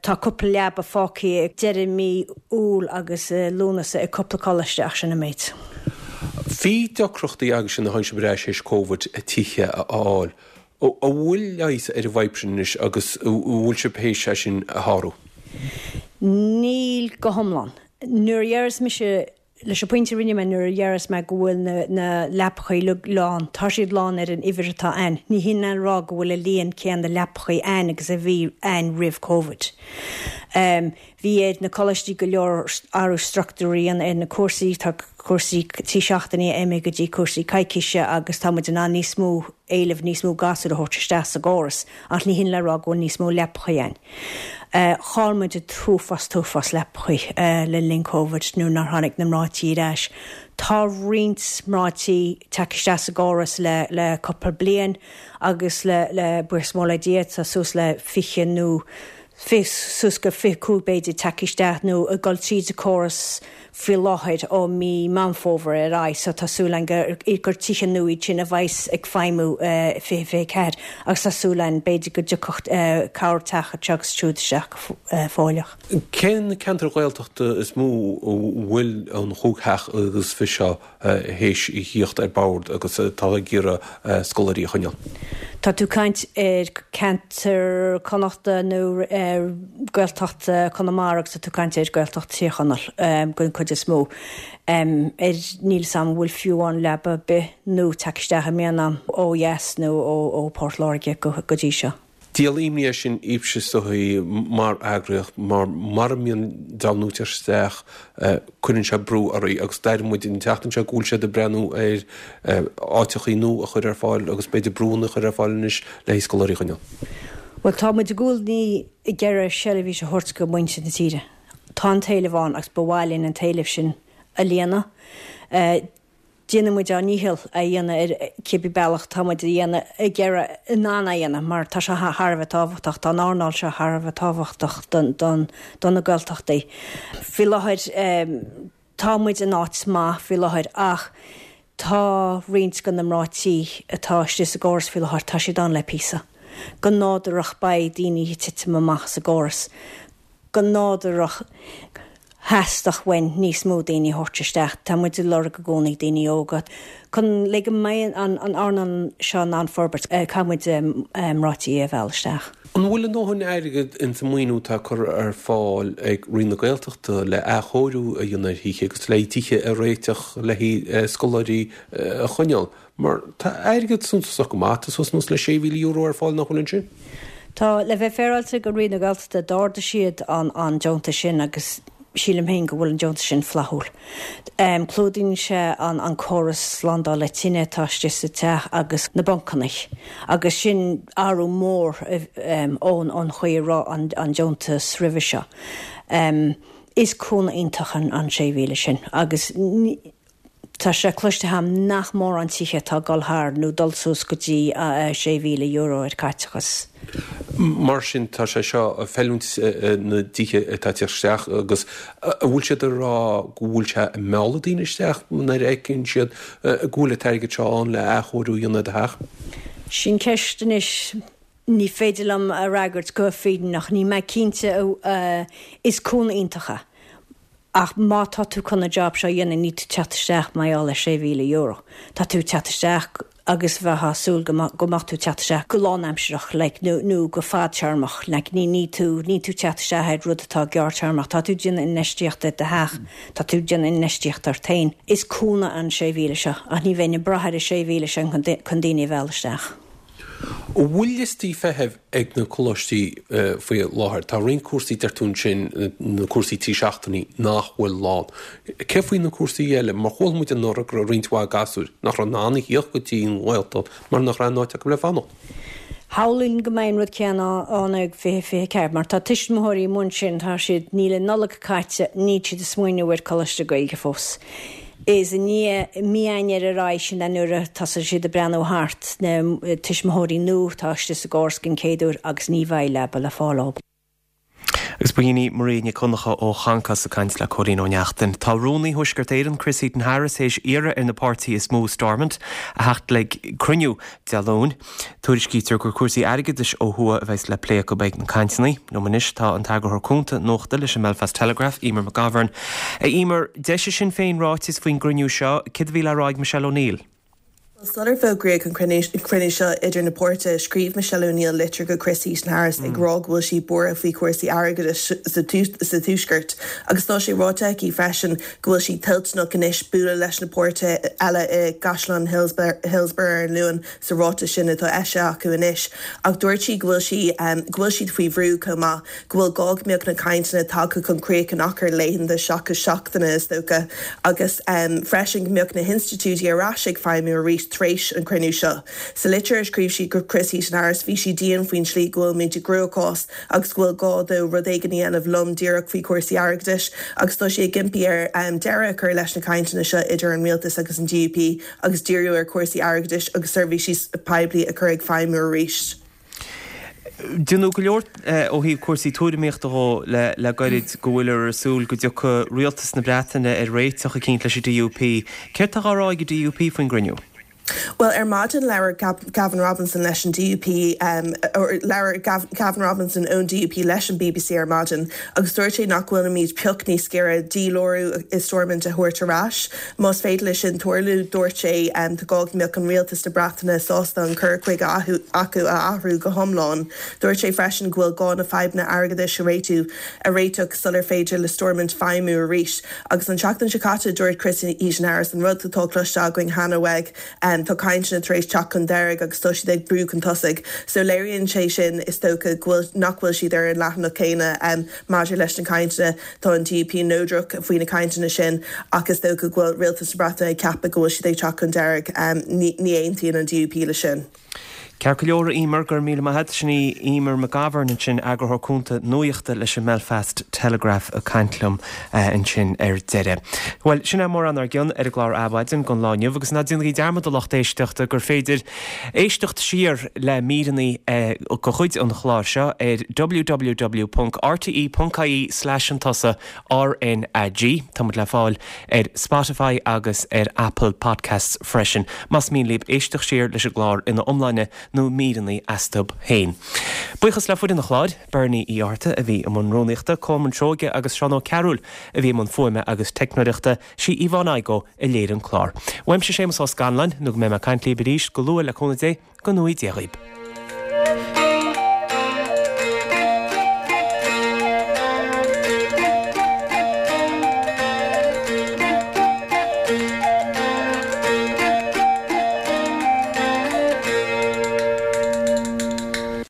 tá cúpla leaba fágtha ag deireadh mí Iúil agus Lúnasa ag cúpla coláiste ach sin an méid. Bhí deacrachtaí agaibhse nuair a tháinig sibh ar ais théis Covid tithe a fháil. An bhfuil leigheas ar an bhfadhb sin anois agus an bhfuil sibh théis é sin a shárú? Níl go hiomlán. Nuair a dheireas mise, leis an bpointe a rinne mé nuair a dheireas mé go bhfuil na na leapachaí uilig lán, tá siad lán ar an uimhir atá ann. Ní hin le rá go bhfuil an líon céanna leapachaí ann agus a bhí ann roimh Covid. Bhí ar na coláistí go leor athrú struchtúir a dhéanamh ar na cúrsaí, tá cúrsaí trí seachtainí imithe go dtí cúrsaí coicíse agus tá muid in ann níos mó éileamh, níos mó gasúr a thabhairt isteach sa gcóras ach ní hin le rá go bhfuil níos mó leapachaí ann. Chaill muid an t-uafás, t-uafás leapachaí le linn Covid nuair nár tháinig na mná tí ar ais. Tá roinnt mná tí tagtha isteach sa gcóras le le cúpla bliain agus le le buíochas mór le Dia tá suas le fiche nó fiche suas go fiche cúig b'fhéidir tagtha isteach nó ag dul tríd an córas faoi láthair ó mí Meán Fómhair ar aghaidh so tá súil againn gur gur tithe nua iad sin a bheas ag feidhmiú i fiche fiche ceathair agus tá súil againn b'fhéidir go dtiocfadh corrtheach anseo agus siúd isteach go fóilleach. Cé na ceantair Ghaeltachta is mó a bhfuil an chúig theach agus fiche seo théis a thíocht ar bord agus atá ag iarraidh scoláirí a choinneáil? Tá tú caint ar ceantar Connachta nó ar Gaeltacht Conamara agus tá tú caint ar Gaeltacht Tír Chonaill den chuid is mó. Ar níl 's a'm an bhfuil fiú amháin leaba ar bith nó teacht isteach i mbliana ó dheas nó ó Port Láirge go dtí seo. Díol imní é sin daoibhse is dóigh mar eagraíocht mar mara mbíonn dream nua ag teacht isteach cuireann sé brú oraibh agus d'airigh muid an tseachtain seo go bhfuil siad ag breathnú ar áiteachaí nua a chur ar fáil agus b'fhéidir brúnna a chur ar fáil anois le haghaidh scoláirí a choinneáil. Bhuel tá muid i gcónaí ag iarraidh seirbhís a thabhairt go muintir na tíre. Tá an t-éileamh ann agus ba mhaith linn an t-éileamh sin a líonadh. Déanann muid ár ndícheall a dhéanamh ar cibé bealach tá muid a dhéanamh ag iarraidh in ann a dhéanamh mar tá sé thar a bheith tábhachtach, tá an earnáil seo thar a bheith tábhachtach don do na Gaeltachtaí. Faoi láthair tá muid in áit maith faoi láthair ach tá roinnt de na mná tí atá istigh sa gcóras faoi láthair, tá siad ann le píosa. Go nádúrach beidh daoine ag titim amach as an gcóras. Go nádúrach theastódh uainn níos mó daoine a thabhairt isteach. Tá muid ag lorg i gcónaí daoine óga. Chun le go mbeidh an earnáil seo in ann forbairt, caithfidh muid mná tí a mhealladh isteach. An bhfuil a ndóthain airgid ins an maoiniú atá curtha ar fáil ag Roinn na Gaeltachta le athchóiriú a dhéanamh ar thithe agus le tithe a réiteach le haghaidh scoláirí a choinneáil? Mar tá airgead suntasach go maith, tá suas anuas le sé mhíle euro ar fáil nach bhfuil ansin? Tá, le bheith féaráilte go Roinn na Gaeltachta d'ardaigh siad an an deontas sin agus sílim féin go bhfuil an deontas sin flaithiúil. Clúdaíonn sé an an córas slándála tine atá istigh sa teach agus na buncanna agus sin athrú mór ón ón chaoi a raibh an an deontas roimhe seo. Is cúnamh iontach an an sé mhíle sin agus ní Tá sé cloiste agam nach mórán tithe atá ag dul thar nó dul suas go dtí sé mhíle euro ar caiteachas. Mar sin tá sé seo ag feiliúint na dtithe atá ag teacht isteach agus an bhfuil siad ag rá go bhfuil sé ag mealladh daoine isteach nuair a fheiceann siad go bhfuil an t-airgead seo ann le athchóiriú a dhéanamh ar do theach? Sin ceist anois. Ní féidir liom a fhreagairt go fírinneach. Níl mé cinnte. Is cúnamh iontach é. Ach má tá tú chun an job seo a dhéanamh níl tú teacht isteach mar gheall ar sé mhíle euro. Tá tú teacht isteach agus bheith á súil go go mbeadh tú teacht isteach go lánaimsearach like nó nó go fadtéarmach like ní ní tú níl tú teacht isteach ar rud atá gearrtéarmach. Tá tú déanamh infheistíocht i do theach, tá tú déanamh infheistíocht ort féin. Is cúnamh an sé mhíle seo ach ní bheinn ag brath ar an sé mhíle sin chun chun daoine a mhealladh isteach. An bhfuil liostaí feithimh ag na coláistí faoi láthair? Tá roinnt cúrsaí, deir tú ansin, na cúrsaí trí seachtainí, nach bhfuil lán. Cé faoi na cúrsaí eile? Mar chuala muid anuraidh go raibh roinnt mhaith gasúir nach raibh in ann a thíocht go dtí an Ghaeltacht mar nach raibh aon áit acu le fanacht. Shamhlóinn go mbeidh an rud céanna ann ag fiche fiche ceathair mar tá tuismitheoirí amuigh ansin, tá siad, níl an Nollaig caite, níl siad ag smaoineamh ar Coláiste Gaeilge fós. Is i ndiaidh mí Eanáir ar aghaidh sin é nuair a tosaíonn siad ag breathnú thart, na tuismitheoirí nua atá istigh sa gcóras den chéad uair agus ní bheidh leaba le fáil dóibh. Agus ba shin í Maria Nic Dhonncha ó Chancás ag caint le Cóilín Ó Neachtain. Tá Rúnaí Thuaisceart Éireann, Chris Heaton-Harris, théis iarraidh ar na páirtithe is mó i Stormont a theacht le cruinniú Dé Luain. Tuairiscítear gur cúrsaí airgeadais ó thuaidh a bheas le plé acu ag na cainteanna. Liom anois tá an t-eagarthóir cúnta nuachta leis an mBelfast Telegraph, Emer McGovern. A Emer, d'eisigh Sinn Féin ráiteas faoin gcruinniú seo, céard a bhí le rá ag Michelle O'Neill? Sular fógraíodh an cruinniú seo idir na páirtithe, scríobh Michelle O'Neill litir go Chris Heaton-Harris ag rá go bhfuil sí buartha faoi chúrsaí airgeadais sa Tuaisceart agus tá sé ráite aici freisin go bhfuil sí toilteanach anois bualadh leis na páirtithe eile i gCaisleán Hillsborough ar an Luan sa ráiteas sin atá eisithe acu anois. Ach dúirt sí go bhfuil sí go bhfuil siad faoi bhrú chomh maith, go bhfuil gá go mbeadh na cainteanna tagtha chun críoch in achar laethanta seachas seachtaine is dócha agus freisin go mbeadh na hinstitiúidí ar ais ag feidhmiú arís tar éis an chruinniú seo. Sa litir a scríobh sí go Chris Heaton-Harris bhí sí dian faoin tslí go bhfuilimid i gcruachás agus go bhfuil gá dó rud éigin a dhéanamh lom díreach faoi chúrsaí airgeadais agus tá sí ag impí air deireadh a chur leis na cainteanna seo idir an rialtas agus an D U P agus díriú ar chúrsaí airgeadais agus seirbhísí poiblí a chur ag feidhmiú arís. Deineadh go leor ó thaobh cúrsaí tuairimíochta dhó le gairid go bhfuiltear ag súil go dtiocfaidh rialtas na Breataine ar réiteach eicínt leis an D U P. Céard tá á rá ag an D U P faoin gcruinniú? Well ar maidin labhair Gavin Robinson leis an DUP um, or labhair Gavin Robinson ón DUP leis an BBC ar maidin agus dúirt sé nach bhfuilimid pioc níos giorra dílárú i Stormont a thabhairt ar ais. Más féidir leis sin tarlú dúirt sé um, tá gá go mbeadh an rialtas na Breataine sásta an cur chuige acu a athrú go hiomlán. Dúirt sé freisin go bhfuil gá na fadhbanna airgeadais a réitiú a réiteach sular féidir le Stormont feidhmiú arís. Agus an tseachtain seo caite dúirt Chris Heaton Harris an rud atá cloiste againn cheana uaidh um, tá cainteanna tar éis teacht chun deiridh agus tá siad ag brú chun tosaigh. So léiríonn sé sin is dócha nach bhfuil siad ar an leathanach céanna um, maidir leis na cainteanna tá an DUP neodrach faoi na cainteanna sin agus is dócha go bhfuil rialtas na Breataine ag ceapadh go bhfuil siad ag teacht chun deiridh um, ní, ní aontaíonn an DUP le sin. Ceart go leor Eimear go raibh míle maith agat sin í Eimear McGovern ansin eagarthóir cúnta nuachta leis an Belfast Telegraph ag caint liom uh, ansin ar deireadh. Well sin é mórán ár gcionn ar an gclár Adhmhaidin don lá inniu agus ná déanaigí dearmad a lucht éisteachta gur féidir éisteacht siar le míreanna uh, de chuid an chláir seo ar www.rte.ie slash an tusa RNAG Tá le fáil ar Spotify agus ar Apple Podcasts freisin. Más mian libh éisteacht siar leis an gclár ina iomláine nó míreanna astu féin. Buíochas le foireann an chláir, Bernie Uí Fhátharta a bhí i mbun rúnaíochta Colmán Seoige agus Seán Ó Cearúil a bhí i mbun fuaime agus teicneoireachta sí Yvonne Igoe a léirigh an clár. Uaimse Séamus Ó Scanláin nó go mbeidh mé ag caint libh arís go luath le cúnamh Dé go ngnóthaí Dia dhaoibh.